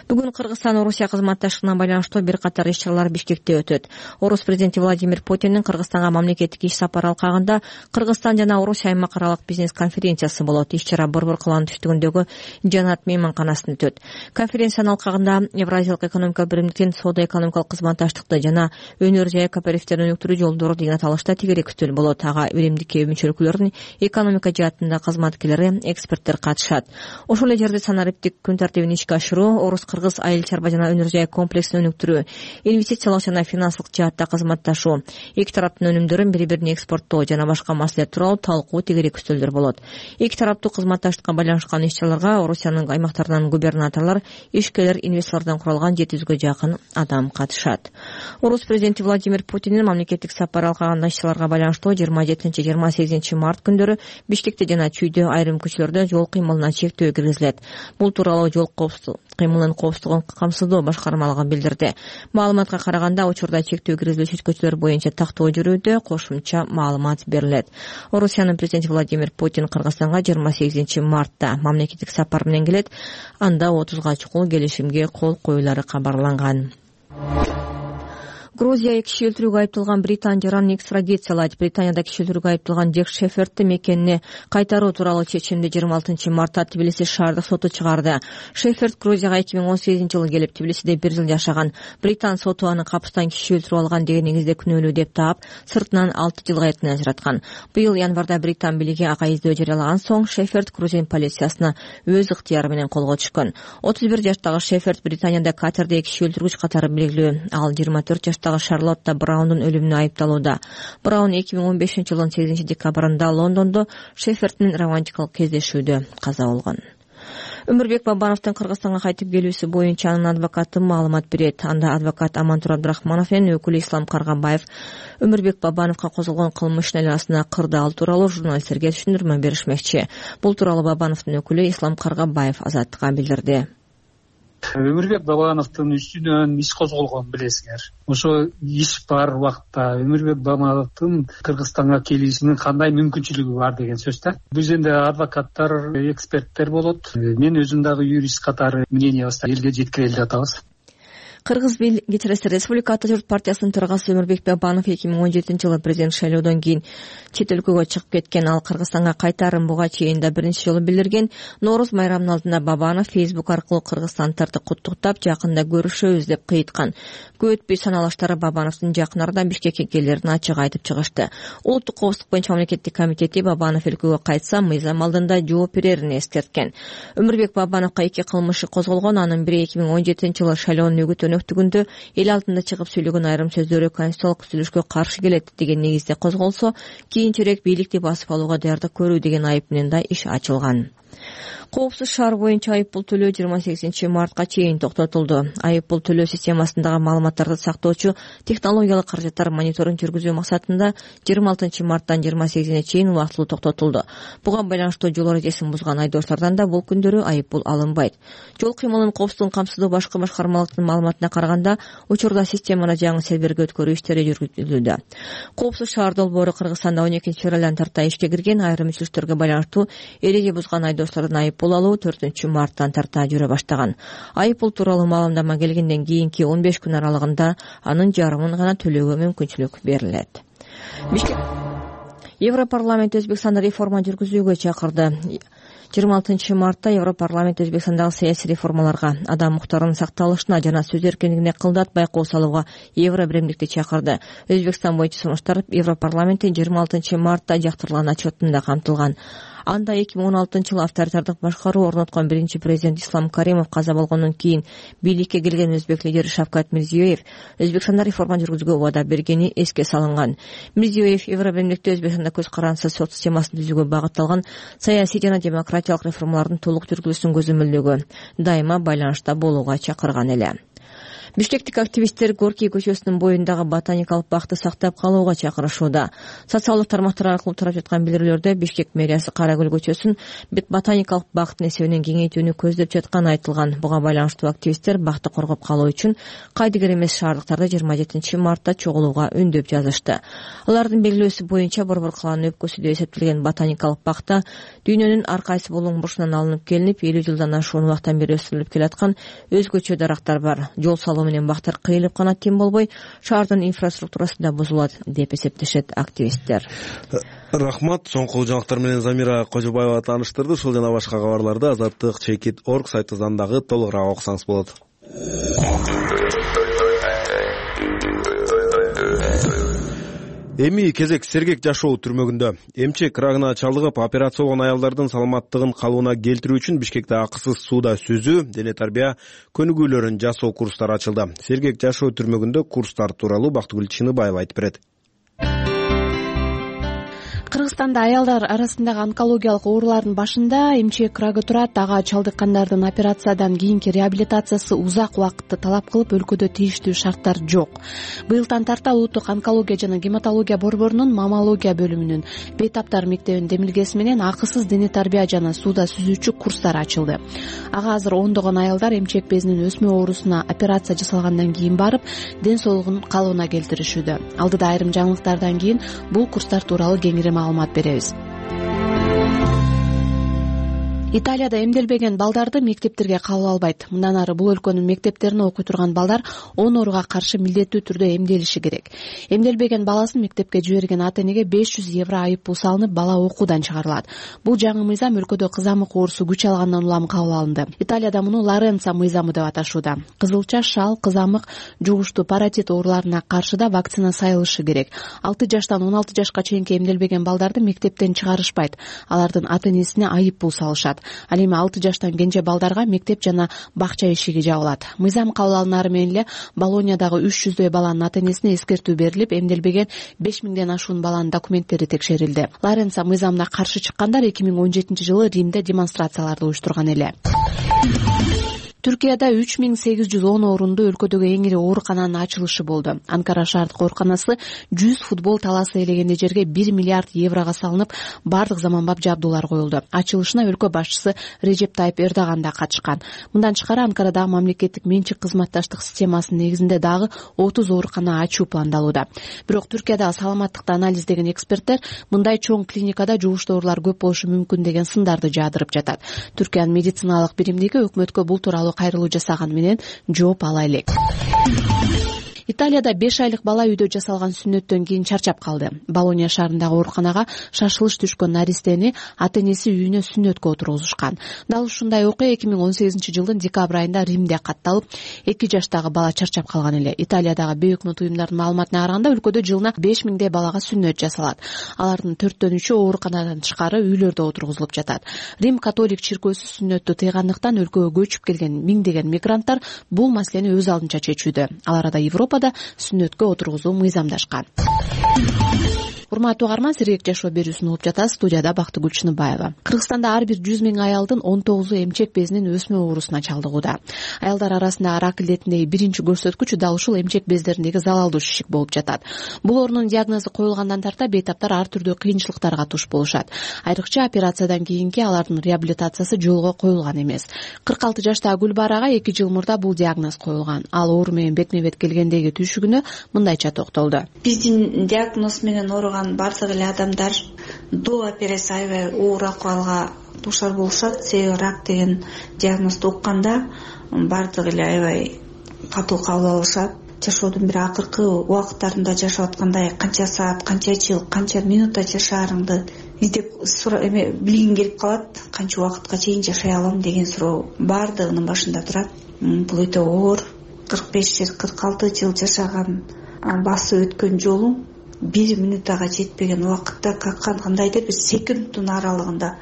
Бүгүн Кыргызстан Орусия кызматташтыгына байланыштуу бир катар иш-чаралар Бишкекте өтөт. Орус президенти Владимир Путиндин Кыргызстанга мамлекеттик иш сапары алкагында Кыргызстан жана Орусия аймак аралык бизнес конференциясы болот. Иш-чара Борбор калаанын түштүгүндөгү Жанат мейманканасында өтөт. Конференциянын алкагында Евразиялык экономикалык биримдиктин соода-экономикалык кызматташтыкты жана өнөр жай кооперативдерин өнүктүрүү жолдору деген аталышта тегерек күтүл болот. Ага биримдикке мүчө өлкөлөрдүн экономика жаатында кызматкерлери, эксперттер катышат. Ошол эле жерде санариптик күн тартибин ишке ашыруу, орус-кыргыз айыл чарба жана өнөр жай комплексин өнүктүрүү, инвестициялык жана финансылык жаатта кызматташуу, эки тараптын өнүмдөрүн бири-бирине экспорттоо жана башка маселелер тууралуу талкуу тегерек күтөлдөр болот. Эки тараптуу кызматташтыкка байланышкан иш-чараларга Орусиянын аймактарынан губернаторлор, ишкерлер, инвесторлордон куралган жети жүзгө жакын адам катышат. Орус президенти Владимир Путиндин мамлекеттик сапары алкаган иш-чараларга байланыштуу жыйырма жетинчи жыйырма сегизинчи март күндөрү Бишкекте жана Чүйдө айрым көчөлөрдө жол кыймылына чектөө киргизилет. Бул тууралуу жол коопсуздук кыймылынын коопсуздугун камсыздоо башкармалыгы билдирди. Маалыматка караганда, учурда чектөө киргизилүүчү көчөлөр боюнча тактоо жүрүүдө, кошумча маалымат берилет. Орусиянын президенти Владимир Путин Кыргызстанга жыйырма сегизинчи мартта мамлекеттик сапар менен келет. Анда отузга чукул келишимге кол коюлары кабарланган. Грузия киши өлтүрүүгө айыпталган британ жаранын экстрадициялайт. Британияда киши өлтүрүүгө айыпталган Джек Шефердти мекенине кайтаруу тууралуу чечимди жыйырма алтынчы мартта Тбилиси шаардык соту чыгарды. Шеферд Грузияга эки миң он сегизинчи жылы келип, Тбилисиде бир жыл жашаган. Британ соту аны капыстан киши өлтүрүп алган деген негизде күнөөлүү деп таап, сыртынан алты жылга эртен ажыраткан. Быйыл январда Британ бийлиги ага издөө жарыялаган соң Шеферд Грузин полициясына өз ыктыяры менен колго түшкөн. отуз бир жаштагы Шеферд Британияда катерде киши өлтүргүч катары белгилүү. Ал жыйырма төрт жаштагы Шарлотта Браундун өлүмүнө айыпталууда. Браун эки миң он бешинчи жылдын сегизинчи декабрында Лондондо Шеферд менен романтикалык кездешүүдө каза болгон. Өмүрбек Бабановдун Кыргызстанга кайтып келүүсү боюнча анын адвокаты маалымат берет. Анда адвокат Амантур Абдрахманов менен өкүлү Ислам Каргабаев Өмүрбек Бабановго козголгон кылмыш ишин кырдаал тууралуу журналисттерге түшүндүрмө беришмекчи. Бул тууралуу Бабановдун өкүлү Ислам Каргабаев Азаттыкка билдирди. Өмүрбек Бабановдун үстүнөн иш козголгон, билесиңер. Ошо иш бар убакта Өмүрбек Бабановдун Кыргызстанга келишинин кандай мүмкүнчүлүгү бар деген сөз да. Биз энди адвокаттар, эксперттер болот. Мен өзүм дагы юрист катары мнениябызды элге жеткире эле атабыз. Кыргыз кечиресиз Республика Ата журт партиясынын төрагасы Өмүрбек Бабанов эки миң он жетинчи жылы президент шайлоодон кийин чет өлкөгө чыгып кеткен. Ал Кыргызстанга кайтаарын буга чейин да биринчи жолу билдирген. Нооруз майрамынын алдында Бабанов Facebook аркылуу кыргызстандыктарды куттуктап, жакында көрүшөбүз деп кыйыткан. Көп өтпөй саналаштары Бабановдун жакын арада Бишкекке келерин ачык айтып чыгышты. Улуттук коопсуздук боюнча мамлекеттик комитети Бабанов өлкөгө кайтса мыйзам алдында жооп берерин эскерткен. Өмүрбек Бабановго эки кылмышы козголгон. Анын бири эки миң он жетинчи жылы шайлоонун өгүт өнөктүгүндө эл алдында чыгып сүйлөгөн айрым сөздөрү конституциялык түзүлүшкө каршы келет деген негизде козголсо, кийинчерээк бийликти басып алууга даярдык көрүү деген айып менен да иш ачылган. Коопсуз шаар боюнча айыппул төлөө жыйырма сегизинчи мартка чейин токтотулду. Айыппул төлөө системасындагы маалыматтарды сактоочу технологиялык каражаттар мониторинг жүргүзүү максатында жыйырма алтынчы марттан жыйырма сегизине чейин убактылуу токтотулду. Буга байланыштуу жол эрежесин бузган айдоочулардан да бул күндөрү айыппул алынбайт. Жол кыймылынын коопсуздугун камсыздоо башкы башкармалыктын маалыматына караганда, учурда системаны жаңы серверге өткөрүү иштери жүргүзүлүүдө. Коопсуз шаар долбоору Кыргызстанда он экинчи февралдан тарта ишке кирген. Айрым үзүлүштөргө байланыштуу эреже бузган айдоочулардын айыппул алуу төртүнчү марттан тарта жүрө баштаган. Айыппул тууралуу маалымдама келгенден кийинки он беш күн аралыгында анын жарымын гана төлөөгө мүмкүнчүлүк берилет. Европарламент Өзбекстанда реформа жүргүзүүгө чакырды. жыйырма алтынчы мартта Европарламент Өзбекстандагы саясий реформаларга, адам укуктарынын сакталышына жана сөз эркиндигине кылдатпай кол салууга Евро биримдикти чакырды. Өзбекстан боюнча сунуштар Европарламенттин жыйырма алтынчы мартта жактырылган отчетунда камтылган. Анда эки миң он алтынчы жылы авторитардык башкаруу орноткон биринчи президент Ислам Каримов каза болгондон кийин бийликке келген өзбек лидери Шавкат Мирзиёев Өзбекстанда реформа жүргүзүүгө убада бергени эске салынган. Мирзиёев Евробиримдикте Өзбекстанда көз карансыз сот системасын түзүүгө багытталган саясий жана демократиялык реформалардын толук жүргүзүлүшүн көзөмөлдөгө, дайыма байланышта болууга чакырган эле. Бишкектик активисттер Горький көчөсүнүн боюндагы ботаникалык бакты сактап калууга чакырышууда. Социалдык тармактар аркылуу тарап жаткан билдирүүлөрдө Бишкек мэриясы Карагүл көчөсүн ботаникалык бактын эсебинен кеңейтүүнү көздөп жатканы айтылган. Буга байланыштуу активисттер бакты коргоп калуу үчүн кайдыгер эмес шаардыктарды жыйырма жетинчи мартта чогулууга үндөп жазышты. Алардын белгилөөсү боюнча Борбор калаанын өпкөсү деп эсептелген ботаникалык бакта дүйнөнүн ар кайсы булуң бурчунан алынып келинип, элүү жылдан ашуун убакыттан бери өстүрүлүп келаткан өзгөчө дарактар бар. Жол салуу менен бактар кыйылып гана тим болбой, шаардын инфраструктурасы да бузулат деп эсептешет активисттер. Рахмат. Соңку жаңылыктар менен Замира Кожобаева тааныштырды. Ушул жана башка кабарларды азаттык чекит точка орг сайтыбыздан дагы толугураак окусаңыз болот. Эми кезек Сергек жашоо түрмөгүндө. Эмчек рагына чалдыгып операция болгон аялдардын саламаттыгын калыбына келтирүү үчүн Бишкекте акысыз сууда сүзүү, дене тарбия көнүгүүлөрүн жасоо курстары ачылды. Сергек жашоо түрмөгүндө курстар тууралуу Бактыгүл Чыныбаева айтып берет. Кыргызстанда аялдар арасындагы онкологиялык оорулардын башында эмчек рагы турат. Ага чалдыккандардын операциядан кийинки реабилитациясы узак убакытты талап кылып, өлкөдө тийиштүү шарттар жок. Быйылдан тарта Улуттук онкология жана гематология борборунун маммология бөлүмүнүн бейтаптар мектебинин демилгеси менен акысыз дене тарбия жана сууда сүзүүчү курстар ачылды. Ага азыр ондогон аялдар эмчек безинин өсмө оорусуна операция жасалгандан кийин барып, ден соолугун калыбына келтиришүүдө. Алдыда айрым жаңылыктардан кийин бул курстар тууралуу кеңири маалымат беребиз. Италияда эмделбеген балдарды мектептерге кабыл албайт. Мындан ары бул өлкөнүн мектептерине окуй турган балдар он ооруга каршы милдеттүү түрдө эмделиши керек. Эмделбеген баласын мектепке жиберген ата-энеге беш жүз евро айыппул салынып, бала окуудан чыгарылат. Бул жаңы мыйзам өлкөдө кызамык оорусу күч алгандан улам кабыл алынды. Италияда муну Лоренцо мыйзамы деп аташууда. Кызылча, шал, кызамык, жугуштуу паротит ооруларына каршы да вакцина сайылышы керек. алты жаштан он алты жашка чейинки эмделбеген балдарды мектептен чыгарышпайт. Алардын ата-энесине айыппул салышат. Ал эми алты жаштан кенже балдарга мектеп жана бакча эшиги жабылат. Мыйзам кабыл алынары менен эле Болоньядагы үч жүздөй баланын ата-энесине эскертүү берилип, эмделбеген беш миңден ашуун баланын документтери текшерилди. Лоренцо мыйзамына каршы чыккандар эки миң он жетинчи жылы Римде демонстрацияларды уюштурган эле. Түркияда үч миң сегиз жүз он орунду өлкөдөгү эң ири оорукананын ачылышы болду. Анкара шаардык ооруканасы жүз футбол талаасы ээлегенде жерге бир миллиард еврого салынып, бардык заманбап жабдуулар коюлду. Ачылышына өлкө башчысы Режеп Тайып Эрдоган да катышкан. Мындан тышкары Анкарадагы мамлекеттик менчик кызматташтык системасынын негизинде дагы отуз оорукана ачуу пландалууда. Бирок Түркиядагы саламаттыкты анализдеген эксперттер мындай чоң клиникада жугуштуу оорулар көп болушу мүмкүн деген сындарды жаадырып жатат. Түркиянын медициналык биримдиги өкмөткө бул тууралуу кайрылуу жасаганы менен жооп ала элек. Италияда беш айлык бала үйдө жасалган сүннөттөн кийин чарчап калды. Болония шаарындагы ооруканага шашылыш түшкөн наристени ата энеси үйүнө сүннөткө отургузушкан. Дал ушундай окуя эки миң он сегизинчи жылдын декабрь айында Римде катталып, эки жаштагы бала чарчап калган эле. Италиядагы бейөкмөт уюмдардын маалыматына караганда өлкөдө жылына беш миңдей балага сүннөт жасалат. Алардын төрттөн үчөө ооруканадан тышкары үйлөрдө отургузулуп жатат. Рим католик чиркөөсү сүннөттү тыйгандыктан өлкөгө көчүп келген миңдеген мигранттар бул маселени өз алдынча чечүүдө. Алар да Европада сүннөткө отургузуу мыйзамдашкан. Урматтуу угарман, сирек жашоо берүүсүн угуп жатасыз. Студияда Бактыгүл Чыныбаева. Кыргызстанда ар бир жүз миң аялдын он тогузу эмчек безинин өсмө оорусуна чалдыгууда. Аялдар арасында рак илдетиндеги биринчи көрсөткүч дал ушул эмчек бездериндеги залалдуу шишик болуп жатат. Бул оорунун диагнозу коюлгандан тарта бейтаптар ар түрдүү кыйынчылыктарга туш болушат. Айрыкча операциядан кийинки алардын реабилитациясы жолго коюлган эмес. кырк алты жаштагы Гүлбарага эки жыл мурда бул диагноз коюлган. Ал оору менен бетме бет келгендеги түйшүгүнө мындайча токтолду. Биздин диагноз менен ооруган бардык эле адамдар до операция аябай оор акыбалга дуушар болушат. Себеби рак деген диагнозду укканда бардык эле аябай катуу кабыл алышат. Жашоодун бир акыркы убакыттарында жашап аткандай канча саат, канча жыл, канча минутта жашаарыңды издеп эме билгиң келип калат. Канча убакытка чейин жашай алам деген суроо бардыгынын башында турат. Бул өтө оор. кырк беш жыл, кырк алты жыл жашаган басып өткөн жолуң бир минутага жетпеген убакытта кандайдыр бир секундтун аралыгында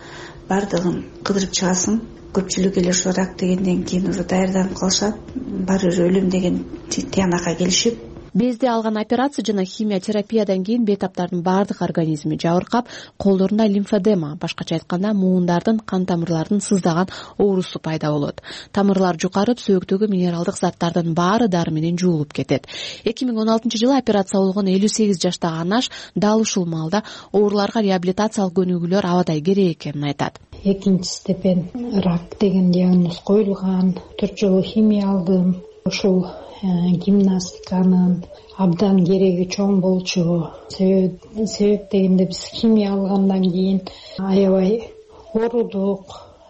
бардыгын кыдырып чыгасың. Көпчүлүк эле ошо рак дегенден кийин уже даярданып калышат. Баары бир өлүм деген тиянакка келишип. Безди алган операция жана химия терапиядан кийин бейтаптардын баардык организми жабыркап, колдорунда лимфодема, башкача айтканда муундардын кан тамырларынын сыздаган оорусу пайда болот. Тамырлар жукарып, сөөктөгү минералдык заттардын баары дары менен жуулуп кетет. эки миң он алтынчы жылы операция болгон элүү сегиз жаштагы Анаш дал ушул маалда ооруларга реабилитациялык көнүгүүлөр абадай керек экенин айтат. Экинчи степень рак деген диагноз коюлган, төрт жолу химия алдым. Ушул гимнастиканын абдан кереги чоң болчу. Себеп дегенде биз химия алгандан кийин аябай оорудук,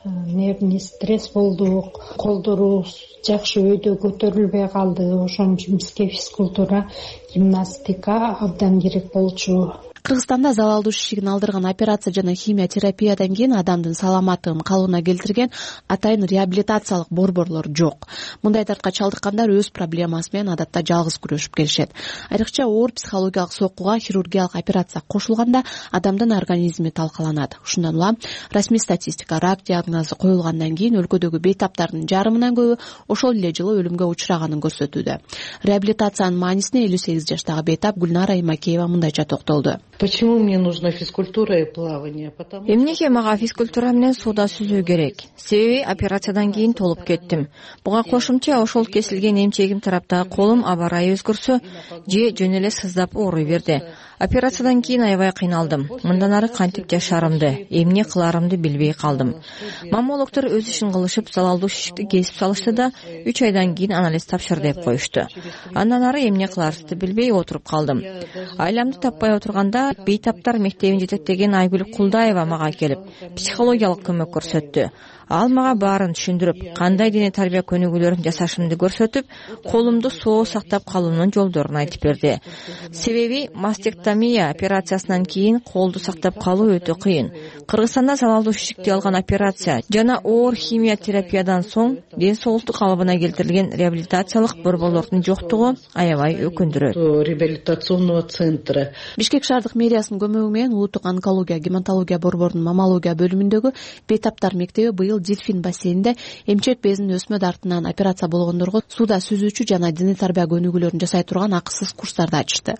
нервный стресс болдук, колдорубуз жакшы өйдө көтөрүлбөй калды. Ошон үчүн бизге физкультура, гимнастика абдан керек болчу. Кыргызстанда залалдуу шишигин алдырган операция жана химия терапиядан кийин адамдын саламаттыгын калыбына келтирген атайын реабилитациялык борборлор жок. Мындай дартка чалдыккандар өз проблемасы менен адатта жалгыз күрөшүп келишет. Айрыкча оор психологиялык соккуга хирургиялык операция кошулганда адамдын организми талкаланат. Ушундан улам расмий статистика рак диагнозу коюлгандан кийин өлкөдөгү бейтаптардын жарымынан көбү ошол эле жылы өлүмгө учураганын көрсөтүүдө. Реабилитациянын маанисине элүү сегиз жаштагы бейтап Гүлнара Имакеева мындайча токтолду. Почему мне нужна физкультура и плавание? Потому Эмнеге мага физкультура менен сууда сүзүү керек? Себеби операциядан кийин толуп кеттим. Буга кошумча ошол кесилген эмчегим тараптагы колум аба ырайы өзгөрсө же жөн эле сыздап ооруй берди. Операциядан кийин аябай кыйналдым. Мындан ары кантип жашаарымды, эмне кыларымды билбей калдым. Маммологдор өз ишин кылышып, залалдуу шишикти кесип салышты да үч айдан кийин анализ тапшыр деп коюшту. Андан ары эмне кыларымды билбей отуруп калдым. Айламды таппай отурганда бейтаптар мектебин жетектеген Айгүл Кулдаева мага келип, психологиялык көмөк көрсөттү. Ал мага баарын түшүндүрүп, кандай дене тарбия көнүгүүлөрүн жасашымды көрсөтүп, колумду соо сактап калуунун жолдорун айтып берди. Себеби мастектомия операциясынан кийин колду сактап калуу өтө кыйын. Кыргызстанда залалдуу шишикти алган операция жана оор химия терапиядан соң ден соолуктук калыбына келтирилген реабилитациялык борборлордун жоктугу аябай өкүндүрөт. Реабилитационного центра. Бишкек шаардык мэриясынын көмөгү менен улуттук онкология, гематология борборунун маммология бөлүмүндөгү бейтаптар мектеби быйыл Дельфин бассейнинде эмчек безинин өсмө дартынан операция болгондорго сууда сүзүүчү жана дене тарбия көнүгүүлөрүн жасай турган акысыз курстарды ачты.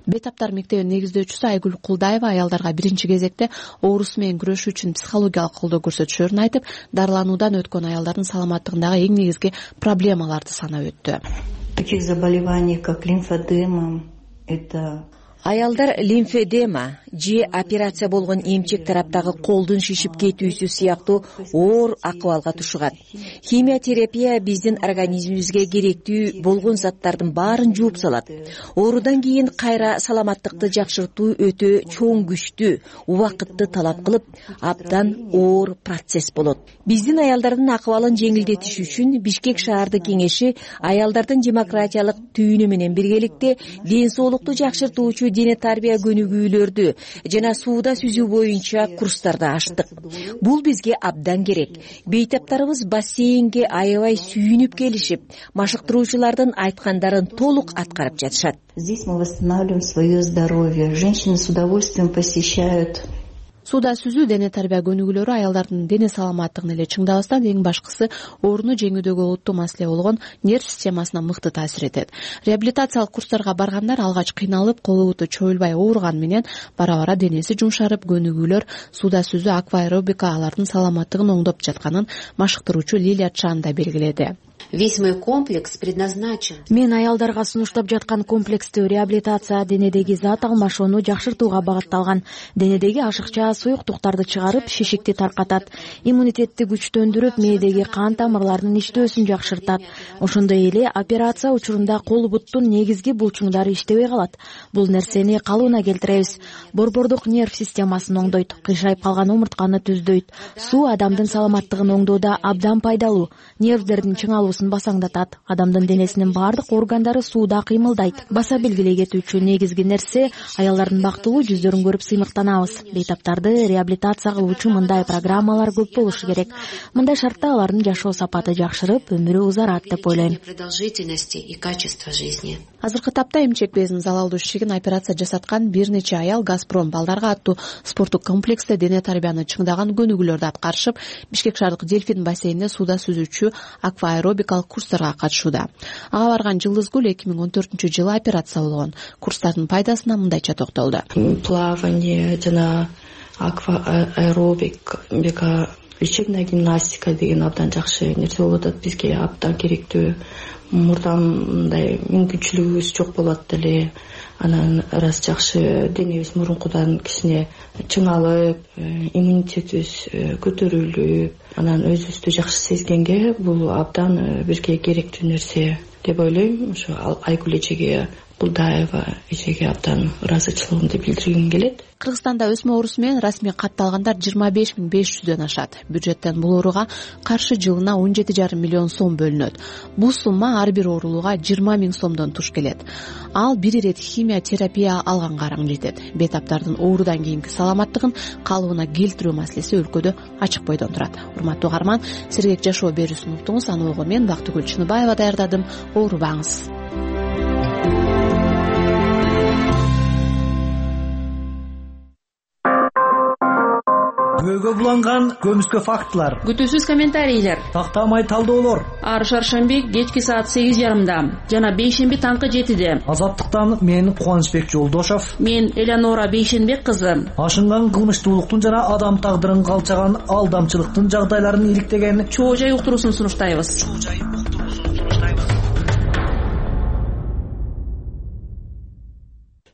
Бейтаптар мектебинин негиздөөчүсү Айгүл Кулдаева аялдарга биринчи кезекте оорусу менен күрөшүү үчүн психологиялык колдоо көрсөтүшөрүн айтып, дарылануудан өткөн аялдардын саламаттыгындагы эң негизги проблемаларды санап өттү. Таких заболеваний, как лимфодема, это Аялдар лимфедема, же операция болгон эмчек тараптагы колдун шишип кетүүсү сыяктуу оор акыбалга тушугат. Химия терапия биздин организмибизге керектүү болгон заттардын баарын жууп салат. Оорудан кийин кайра саламаттыкты жакшыртуу өтө чоң күчтүү, убакытты талап кылып, абдан оор процесс болот. Биздин аялдардын акыбалын жеңилдетиш үчүн Бишкек шаардык кеңеши аялдардын демократиялык түйүнү менен биргеликте ден соолукту жакшыртуучу дене тарбия көнүгүүлөрдү жана сууда сүзүү боюнча курстарды ачтык. Бул бизге абдан керек. Бейтаптарыбыз бассейнге аябай сүйүнүп келишип, машыктыруучулардын айткандарын толук аткарып жатышат. Здесь мы восстанавливаем свое здоровье. Женщины с удовольствием посещают. Сууда сүзүү дене тарбия көнүгүүлөрү аялдардын дене саламаттыгын эле чыңдабастан эң башкысы ооруну жеңүүдөгү олуттуу маселе болгон нерв системасына мыкты таасир этет. Реабилитациялык курстарга баргандар алгач кыйналып, колу буту чоюлбай ооруган менен бара-бара денеси жумшарып, көнүгүүлөр, сууда сүзүү, акваэробика алардын саламаттыгын оңдоп жатканын машыктыруучу Лилия Чан да белгиледи. Весь мой комплекс предназначен. Мен аялдарга сунуштап жаткан комплекстүү реабилитация денедеги зат алмашууну жакшыртууга багытталган. Денедеги ашыкча суюктуктарды чыгарып, шишикти таркатат, иммунитетти күчтөндүрүп, мээдеги кан тамырларынын иштөөсүн жакшыртат. Ошондой эле операция учурунда кол буттун негизги булчуңдары иштебей калат. Бул нерсени калыбына келтиребиз. Борбордук нерв системасын оңдойт, кыйшайып калган омуртканы түздөйт. Суу адамдын саламаттыгын оңдоодо абдан пайдалуу. Нервдердин чыңалуусун басаңдатат. Адамдын денесинин баардык органдары сууда кыймылдайт. Баса белгилей кетүүчү негизги нерсе аялдардын бактылуу жүздөрүн көрүп сыймыктанабыз. Бейтаптарды реабилитация кылуучу мындай программалар көп болушу керек. Мындай шартта алардын жашоо сапаты жакшырып, өмүрү узарат деп ойлойм. Продолжительности и качества жизни. Азыркы тапта эмчек безинин залалдуу шишигин операция жасаткан бир нече аял Газпром балдарга аттуу спорттук комплексте дене тарбияны чыңдаган көнүгүүлөрдү аткарышып, Бишкек шаардык Дельфин бассейнинде сууда сүзүүчү акваэробикалык курстарга катышууда. Ага барган Жылдызгүл эки миң он төртүнчү жылы операция болгон. Курстардын пайдасына мындайча токтолду. Плавание жана акваэробика, лечебная гимнастика деген абдан жакшы нерсе болуп атат. Бизге абдан керектүү. Мурдан мындай мүмкүнчүлүгүбүз жок болот деле. Анан раз жакшы денебиз мурункудан кичине чыңалып, иммунитетибиз көтөрүлүп, анан өзүбүздү жакшы сезгенге бул абдан бизге керектүү нерсе деп ойлойм. Ошо Айгүл эжеге, Булдаева эжеге абдан ыраазычылыгымды билдиргим келет. Кыргызстанда өсмө оорусу менен расмий катталгандар жыйырма беш миң беш жүздөн ашат. Бюджеттен бул ооруга каршы жылына он жети жарым миллион сом бөлүнөт. Бул сумма ар бир оорулууга жыйырма миң сомдон туш келет. Ал бир ирет химия терапия алганга араң жетет. Бейтаптардын оорудан кийинки саламаттыгын калыбына келтирүү маселеси өлкөдө ачык бойдон турат. Урматтуу угарман, сергек жашоо берүүсүн уктуңуз. Аны ого мен Бактыгүл Чыныбаева даярдадым. Оорубаңыз. Күбөгө буланган көмүскө фактылар, күтүүсүз комментарийлер, тактамай талдоолор. Ар шаршемби кечки саат сегиз жарымда жана бейшемби таңкы жетиде. Азаттыктан мен Кубанычбек Жолдошов, мен Элеонора Бейшенбек кызы. Ашынган кылмыштуулуктун жана адам тагдырын калчаган алдамчылыктын жагдайларын иликтеген чоо жай уктуруусун сунуштайбыз.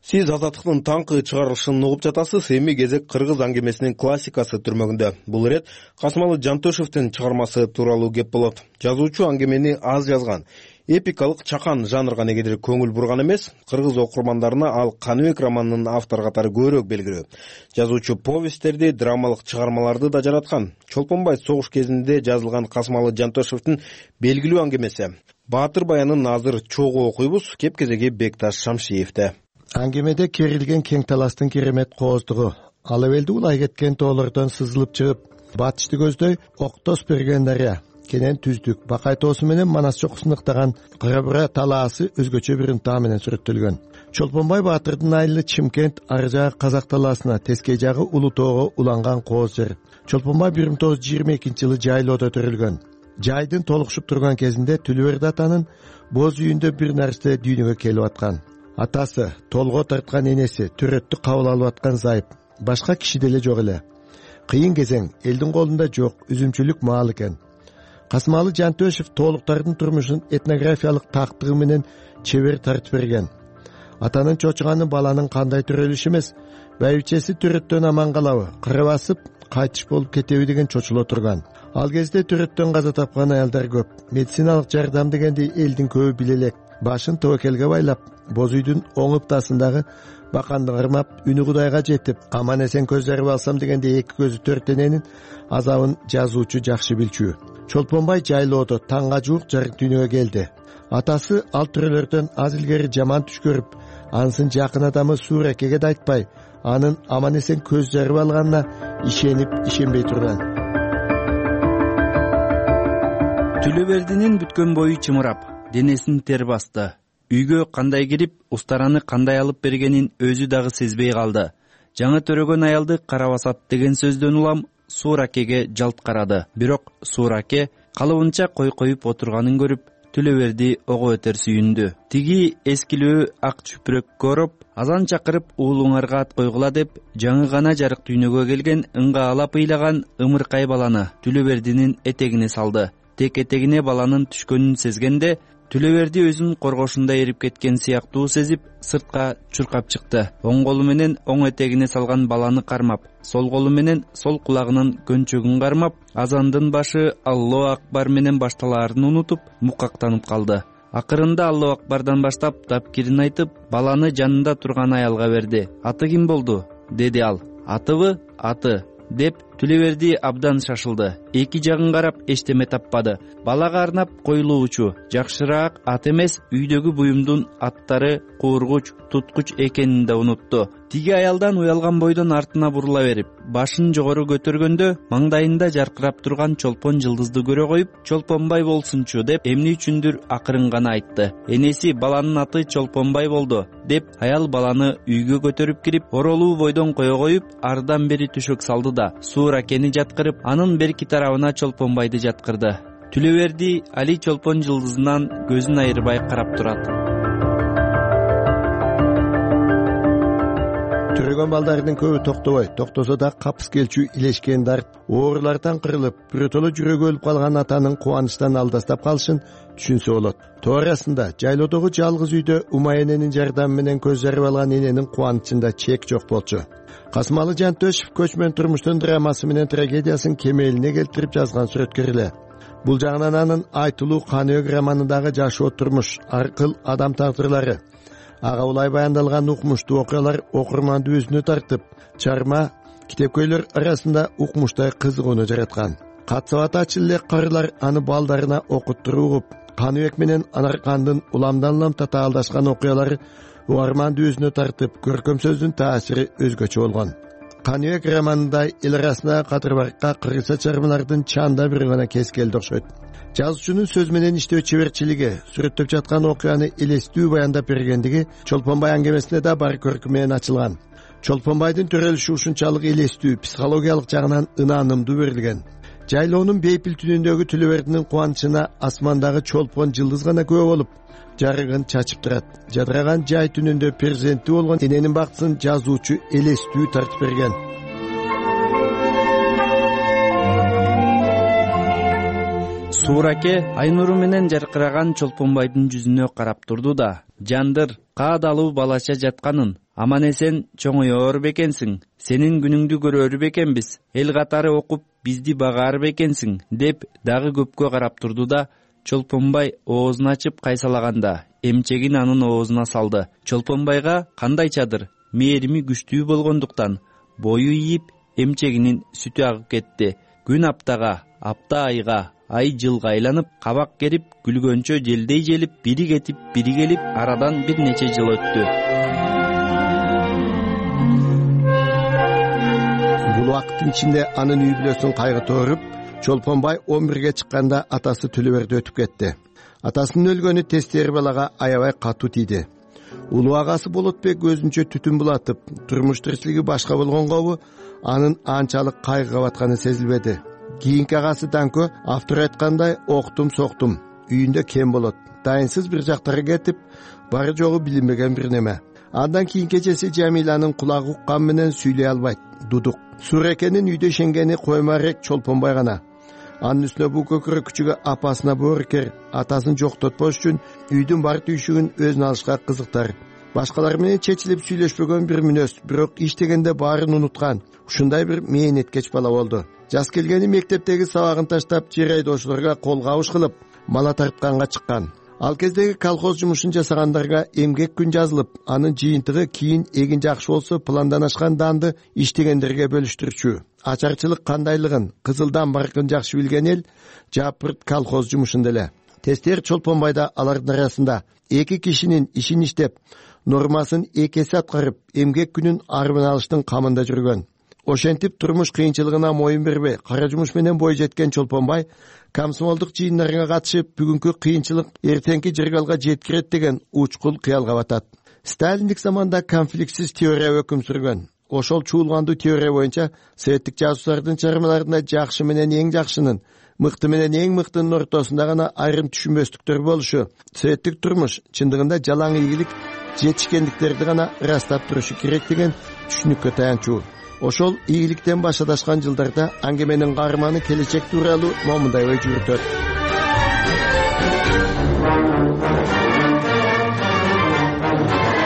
Сиз Азаттыктын таңкы чыгарылышын угуп жатасыз. Эми кезек кыргыз аңгемесинин классикасы түрмөгүндө. Бул ирет Касымалы Жантөшевдин чыгармасы тууралуу кеп болот. Жазуучу аңгемени аз жазган. Эпикалык чакан жанрга негедир көңүл бурган эмес, кыргыз окурмандарына ал Каныбек романынын автор катары көбүрөөк белгилүү. Жазуучу повесттерди, драмалык чыгармаларды да жараткан. Чолпонбай согуш кезинде жазылган Касымалы Жантөшевдин белгилүү аңгемеси. Баатыр баянын азыр чогуу окуйбуз, кеп кезеги Бекташ Шамшиевде. Аңгемеде керилген кең таластын керемет кооздугу, ал эбелди улай кеткен тоолордон сызылып чыгып, батышты көздөй Октос берген дарыя, кенен түздүк, Бакай тоосу менен Манас чокусун ыктаган Кыра-Бура талаасы өзгөчө бир ынтаа менен сүрөттөлгөн. Чолпонбай Баатырдын айылы Чимкент, ары жагы Казак талаасына, тескей жагы Улуу тоого уланган кооз жер. Чолпонбай бир миң тогуз жүз жыйырма экинчи жылы жайлоодо төрөлгөн. Жайдын толукшуп турган кезинде Түлүберди атанын боз үйүндө бир нарсе дүйнөгө келип аткан. Атасы, толго тарткан энеси, төрөттү кабыл алып аткан зайып, башка киши деле жок эле. Кыйын кезең, элдин колунда жок, үзүмчүлүк маал экен. Касымалы Жантөшев тоолуктардын турмушун этнографиялык тактыгы менен чебер тартып берген. Атанын чочуганы баланын кандай төрөлүшү эмес, байбичеси төрөттөн аман калабы, кыра басып кайтыш болуп кетеби деген чочуло турган. Ал кезде төрөттөн каза тапкан аялдар көп. Медициналык жардам дегенди элдин көбү биле элек. Башын тобокелге байлап, боз үйдүн оң ыптасындагы баканды кырмап, үнү Кудайга жетип, аман эсен көз жарып алсам дегенде эки көзү төрттененин азабын жазуучу жакшы билчү. Чолпонбай жайлоодо таңга жуук жарык дүйнөгө келди. Атасы ал төрөлөрдөн аз илгери жаман түш көрүп, ансын жакын адамы Сууракеге да айтпай, анын аман эсен көз жарып алганына ишенип, ишенбей турган. Түлөбердинин бүткөн бою чымырап, денесин тер басты. Үйгө кандай кирип, устараны кандай алып бергенин өзү дагы сезбей калды. Жаңы төрөгөн аялды кара басат деген сөздөн улам Сууракеге жалт карады. Бирок Суураке калыбынча кой коюп отурганын көрүп, Түлөберди ого өтөр сүйүндү. Тиги эскилөө ак чүпүрөк көрүп, азан чакырып уулуңарга ат койгула деп, жаңы гана жарык дүйнөгө келген ыңга алап ыйлаган ымыркай баланы Түлөбердинин этегине салды. Тек этегине баланын түшкөнүн сезгенде, Түлөберди өзүнүн коргошунда эрип кеткен сыяктуу сезип, сыртка чуркап чыкты. Оң колу менен оң этегине салган баланы кармап, сол колу менен сол кулагынын көнчөгүн кармап, азандын башы Аллаху акбар менен башталаарын унутуп, мукактанып калды. Акырында Аллаху акбардан баштап тапкирин айтып, баланы жанында турган аялга берди. Аты ким болду? Деди ал. Атыбы? Аты деп Түлөберди абдан шашылды. Эки жагын карап эчтеме таппады. Балага арнап коюлуучу жакшыраак ат эмес, үйдөгү буюмдун аттары куургуч, туткуч экенин да унутту. Тиги аялдан уялган бойдон артына бурула берип, башын жогору көтөргөндө маңдайында жаркырап турган чолпон жылдызды көрө коюп, Чолпонбай болсунчу деп эмне үчүндүр акырын гана айтты. Энеси баланын аты Чолпонбай болду деп аял баланы үйгө көтөрүп кирип, оролуу бойдон кое коюп, ардан бери түшөк салды да Сууракени жаткырып, анын берки тарабына Чолпонбайды жаткырды. Түлөберди Али чолпон жылдызынан көзүн айырбай карап турат. Төрөгөн балдардын көбү токтобой, токтосо да капыс келчү илешкен дарт, оорулардан кырылып, биротоло жүрөгү өлүп калган атанын кубанычтан алдастап калышын түшүнсө болот. Тоорасында жайлоодогу жалгыз үйдө Умай эненин жардамы менен көз жарып алган эненин кубанычында чек жок болчу. Касымалы Жантөшев көчмөн турмуштун драмасы менен трагедиясын кемелине келтирип жазган сүрөткөр эле. Бул жагынан анын айтылуу Каныөк романындагы жашоо турмуш, аркыл адам тагдырлары, ага улай баяндалган укмуштуу окуялар окурманды өзүнө тартып, чарма, китепкөйлөр арасында укмуштай кызыгууну жараткан. Катсабат ачыл эле карылар аны балдарына окуттуруп угуп, Каныөк менен Анаркандын уламдан улам татаалдашкан окуялары угарманды өзүнө тартып, көркөм сөздүн таасири өзгөчө болгон. Каныөк романында эл арасында кадырбаркка кыргызча чармалардын чанда бир гана кескелди окшойт. Жазуучунун сөз менен иштөө чеберчилиги, сүрөттөп жаткан окуяны элестүү баяндап бергендиги Чолпонбай аңгемесинде да бар көркү менен ачылган. Чолпонбайдын төрөлүшү ушунчалык элестүү, психологиялык жагынан ынанымдуу берилген. Жайлоонун бейпил түнүндөгү Түлөбердинин кубанычына асмандагы чолпон жылдыз гана күбө болуп, жарыгын чачып турат. Жадыраган жай түнүндө перзенти болгон эненин бактысын жазуучу элестүү тартып берген. Суураке ай нуру менен жаркыраган Чолпонбайдын жүзүнө карап турду да, жандыр, каадалуу балача жатканын, аман эсен чоңоёр бекенсиң, сенин күнүңдү көрөр бекенбиз, эл катары окуп бизди багаар бекенсиң, деп дагы көпкө карап турду да, Чолпонбай оозун ачып кайсалаганда эмчегин анын оозуна салды. Чолпонбайга кандайчадыр мээрими күчтүү болгондуктан бою ийип, эмчегинин сүтү агып кетти. Күн аптага, апта айга, ай жылга айланып, кабак керип, күлгөнчө желдей желип, бири кетип, бири келип, арадан бир нече жыл өттү. Бул убакыттын ичинде анын үй бүлөсүн кайгы тооруп, Чолпонбай он бирге чыкканда атасы Түлөберди өтүп кетти. Атасынын өлгөнү тестери балага аябай катуу тийди. Улуу агасы Болотбек өзүнчө түтүн булатып, турмуш тиричилиги башка болгонгобу, анын анчалык кайгыга батканы сезилбеди. Кийинки агасы Данкө автор айткандай октум соктум, үйүндө кем болот, дайынсыз бир жактарга кетип, бары жогу билинбеген бир неме. Андан кийинки эчеси Жамиланын кулагы уккан менен сүйлөй албайт, дудук. Сууракенин үйдө ишенгени коймарек Чолпонбай гана. Анын үстүнө бул көкүрөк күчүгө апасына боорукер, атасын жоктотпош үчүн үйдүн бар түйшүгүн өзүнө алышка кызыктар. башкалар менен чечилип сүйлөшпөгөн бир мүнөз, бирок иштегенде баарын унуткан ушундай бир мээнеткеч бала болду. Жас келгени мектептеги сабагын таштап жер айдоочуларга кол кабыш кылып мала тартканга чыккан. Ал кездеги колхоз жумушун жасагандарга эмгек күн жазылып, анын жыйынтыгы кийин эгин жакшы болсо пландан ашкан данды иштегендерге бөлүштүрчү. Ачарчылык кандайлыгын, кызылдан баркын жакшы билген эл жапырт колхоз жумушунда эле. Тестер Чолпонбайда алардын арасында эки кишинин ишин иштеп, нормасын эки эсе аткарып, эмгек күнүн армын алыштын камында жүргөн. Ошентип турмуш кыйынчылыгына моюн бербей, кара жумуш менен бой жеткен Чолпонбай комсомолдук жыйындарга катышып, бүгүнкү кыйынчылык эртеңки жыргалга жеткирет деген учкул кыялга батат. Сталиндик заманда конфликтсиз теория өкүм сүргөн. Ошол чуулгандуу теория боюнча советтик жасуустардын чыгармаларында жакшы менен эң жакшынын, мыкты менен эң мыктынын ортосунда гана айрым түшүнбөстүктөр болушу, советтик турмуш чындыгында жалаң ийгилик, жетишкендиктерди гана ырастап турушу керек деген түшүнүккө таянчу. Ошол ийгиликтен баш адашкан жылдарда аңгеменин каарманы келечек тууралуу момундай ой жүрүтөт.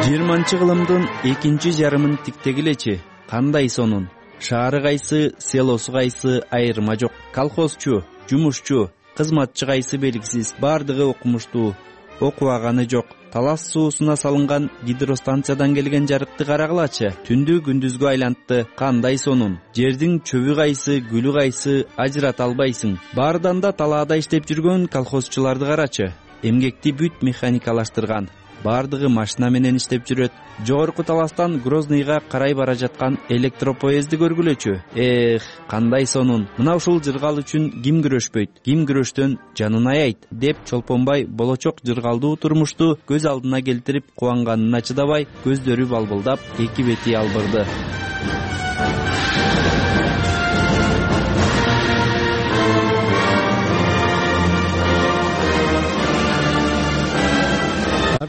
жыйырманчы кылымдын экинчи жарымын тиктегилечи, кандай сонун? Шаары кайсы, селосу кайсы айырма жок. Колхозчу, жумушчу, кызматчы кайсы белгисиз, бардыгы окумуштуу, окубаганы жок. Талас суусуна салынган гидростанциядан келген жарыкты карагылачы. Түндү күндүзгө айлантты, кандай сонун. Жердин чөбү кайсы, гүлү кайсы ажырата албайсың. Баардан да талаада иштеп жүргөн колхозчуларды карачы. Эмгекти бүт механикалаштырган. Бардыгы машина менен иштеп жүрөт. Жогорку таластан Грозныйга карай бара жаткан электропоезди көргүлөчү. Эх, кандай сонун. Мына ушул жыргал үчүн ким күрөшпөйт, ким күрөштөн жанын аяйт деп Чолпонбай болочок жыргалдуу турмушту көз алдына келтирип кубанганына чыдабай, көздөрү балбылдап, эки бети албырды.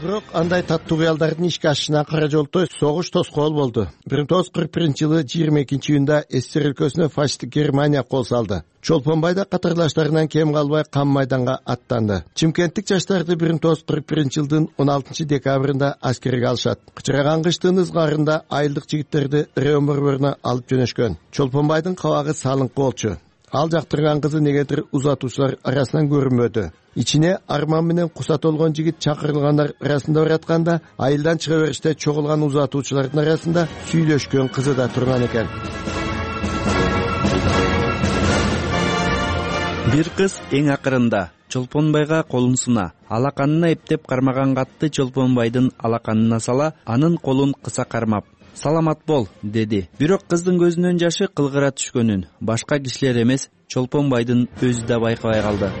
Бирок андай таттуу кыялдардын ишке ашышына кара жолтой согуш тоскоол болду. бир миң тогуз жүз кырк биринчи жылы жыйырма экинчи июнда СССР өлкөсүнө фашисттик Германия кол салды. Чолпонбай да катарлаштарынан кем калбай кам майданга аттанды. Чымкенттик жаштарды бир миң тогуз жүз кырк биринчи жылдын он алтынчы декабрында аскерге алышат. Кычыраган кыштын ызгаарында айылдык жигиттерди Реон борборуна алып жөнөшкөн. Чолпонбайдын кабагы салыңкы болчу. Ал жактырган кызы негедир узатуучулар арасынан көрүнбөдү. Ичине арман менен куса толгон жигит чакырылгандар арасында баратканда, айылдан чыга бериште чогулган узатуучулардын арасында сүйлөшкөн кызы да турган экен. Бир кыз эң акырында Чолпонбайга колун суна. Алаканына эптеп кармаган катты Чолпонбайдын алаканына сала, анын колун кыса кармап, "Саламат бол" деди. Бирок кыздын көзүнөн жашы кылгыра түшкөнүн башка кишилер эмес, Чолпонбайдын өзү да байкабай калды.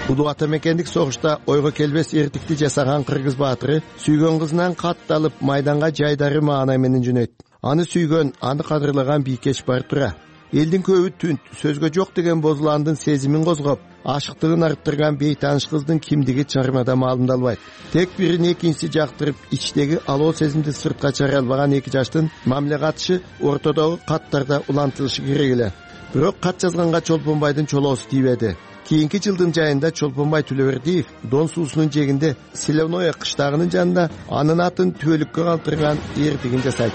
Улуу ата мекендик согушта ойго келбес эртикти жасаган кыргыз баатыры сүйгөн кызынан кат алып майданга жайдары маанай менен жөнөйт. Аны сүйгөн, аны кадырлаган бийкеч бар тура. Элдин көбү түнт, сөзгө жок деген бозуландын сезимин козгоп, ашыктыгын арттырган бейтааныш кыздын кимдиги чармада маалымдалбайт. Тек бирин экинчиси жактырып, ичтеги алоо сезимди сыртка чыгара албаган эки жаштын мамиле катышы ортодогу каттарда улантылышы керек эле. Бирок кат жазганга Чолпонбайдын чолоосу тийбеди. Кийинки жылдын жайында Чолпонбай Төлөбердиев Дон суусунун жээгинде Селевное кыштагынын жанында анын атын түбөлүккө калтырган эртигин жасайт.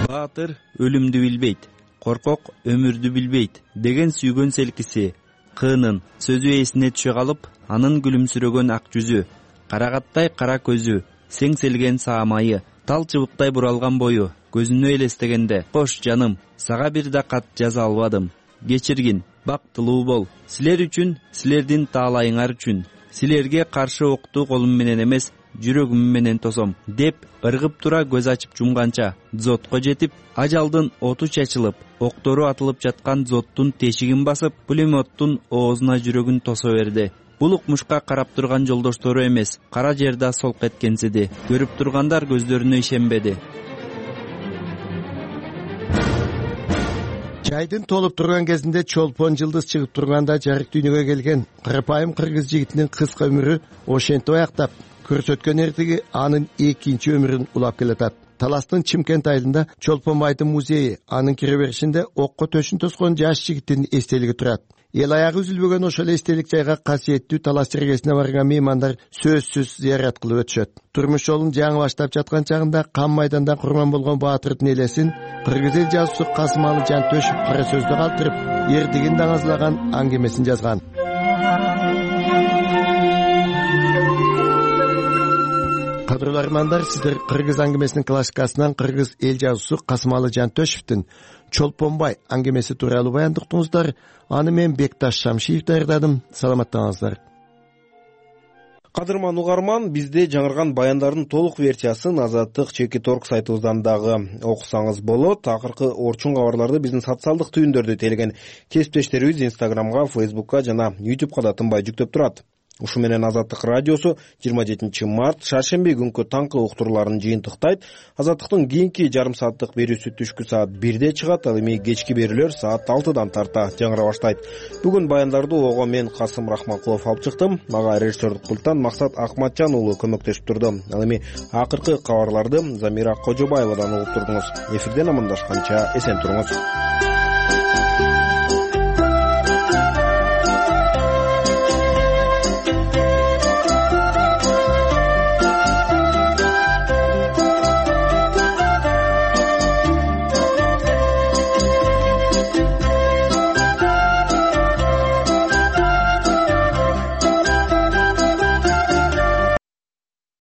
Баатыр өлүмдү билбейт, коркок өмүрдү билбейт деген сүйгөн селкиси, кыынын сөзү эсине түшө калып, анын күлүмсүрөгөн ак жүзү, карагаттай кара көзү, сеңселген саамайы, тал чыбыктай буралган бою көзүнө элестегенде, "Кош жаным, сага бир да кат жаза албадым. Кечиргин, бактылуу бол. Силер үчүн, силердин таалайыңар үчүн. Силерге каршы окту колум менен эмес, жүрөгүм менен тосом" деп ыргып тура көз ачып жумганча дзотко жетип, ажалдын оту чачылып, октору атылып жаткан дзоттун тешигин басып, пулеметтун оозуна жүрөгүн тосо берди. Бул укмушка карап турган жолдоштору эмес, кара жерде солк эткенсиди. Көрүп тургандар көздөрүнө ишенбеди. Жайдын толуп турган кезинде Чолпон жылдыз чыгып турганда жарык дүйнөгө келген карапайым кыргыз жигитинин кыска өмүрү ошентип аяктап, көрсөткөн эртиги анын экинчи өмүрүн улап келатат. таластын Чимкент айылында Чолпон байдын музейи, анын кире беришинде окко төшүн тоскон жаш жигиттин эстелиги турат. Эл аягы үзүлбөгөн ошол эстелик жайга касиеттүү талас чергесине барган меймандар сөзсүз зыярат кылып өтүшөт. Турмуш жолун жаңы баштап жаткан чагында Кан майдандан курман болгон баатырдын элесин кыргыз эл жазуусу Касымалы Жантөшев кара сөздө калтырып, эрдигин даңазлаган аңгемесин жазган. Кадырлуу армандар, сиздер кыргыз аңгемесинин классикасынан кыргыз эл жазуусу Касымалы Жантөшевдин Чолпонбай аңгемеси тууралуу баяндыктыңыздар. Аны мен Бекташ Шамшиев даярдадым. Саламаттаңыздар. Кадырман угарман, бизде жаңырган баяндардын толук версиясын Азаттык Чеки Торг сайтыбыздан дагы окусаңыз болот. Акыркы орчун кабарларды биздин социалдык түйүндөрдө телеген кесиптештерибиз Инстаграмга, Фейсбукка жана Ютубка да тынбай жүктөп турат. Ушу менен Азаттык радиосу жыйырма жетинчи март шаршемби күнкү таңкы уктурууларын жыйынтыктайт. Азаттыктын кийинки жарым сааттык берүүсү түшкү саат бирде чыгат, ал эми кечки берүүлөр саат алтыдан тарта жаңыра баштайт. Бүгүн баяндарды ого мен Касым Рахманкулов алып чыктым. Мага режиссердук пульттан Максат Акматжан уулу көмөктөшүп турду. Ал эми акыркы кабарларды Замира Кожобаевадан угуп турдуңуз. Эфирден амандашканча эсен туруңуз.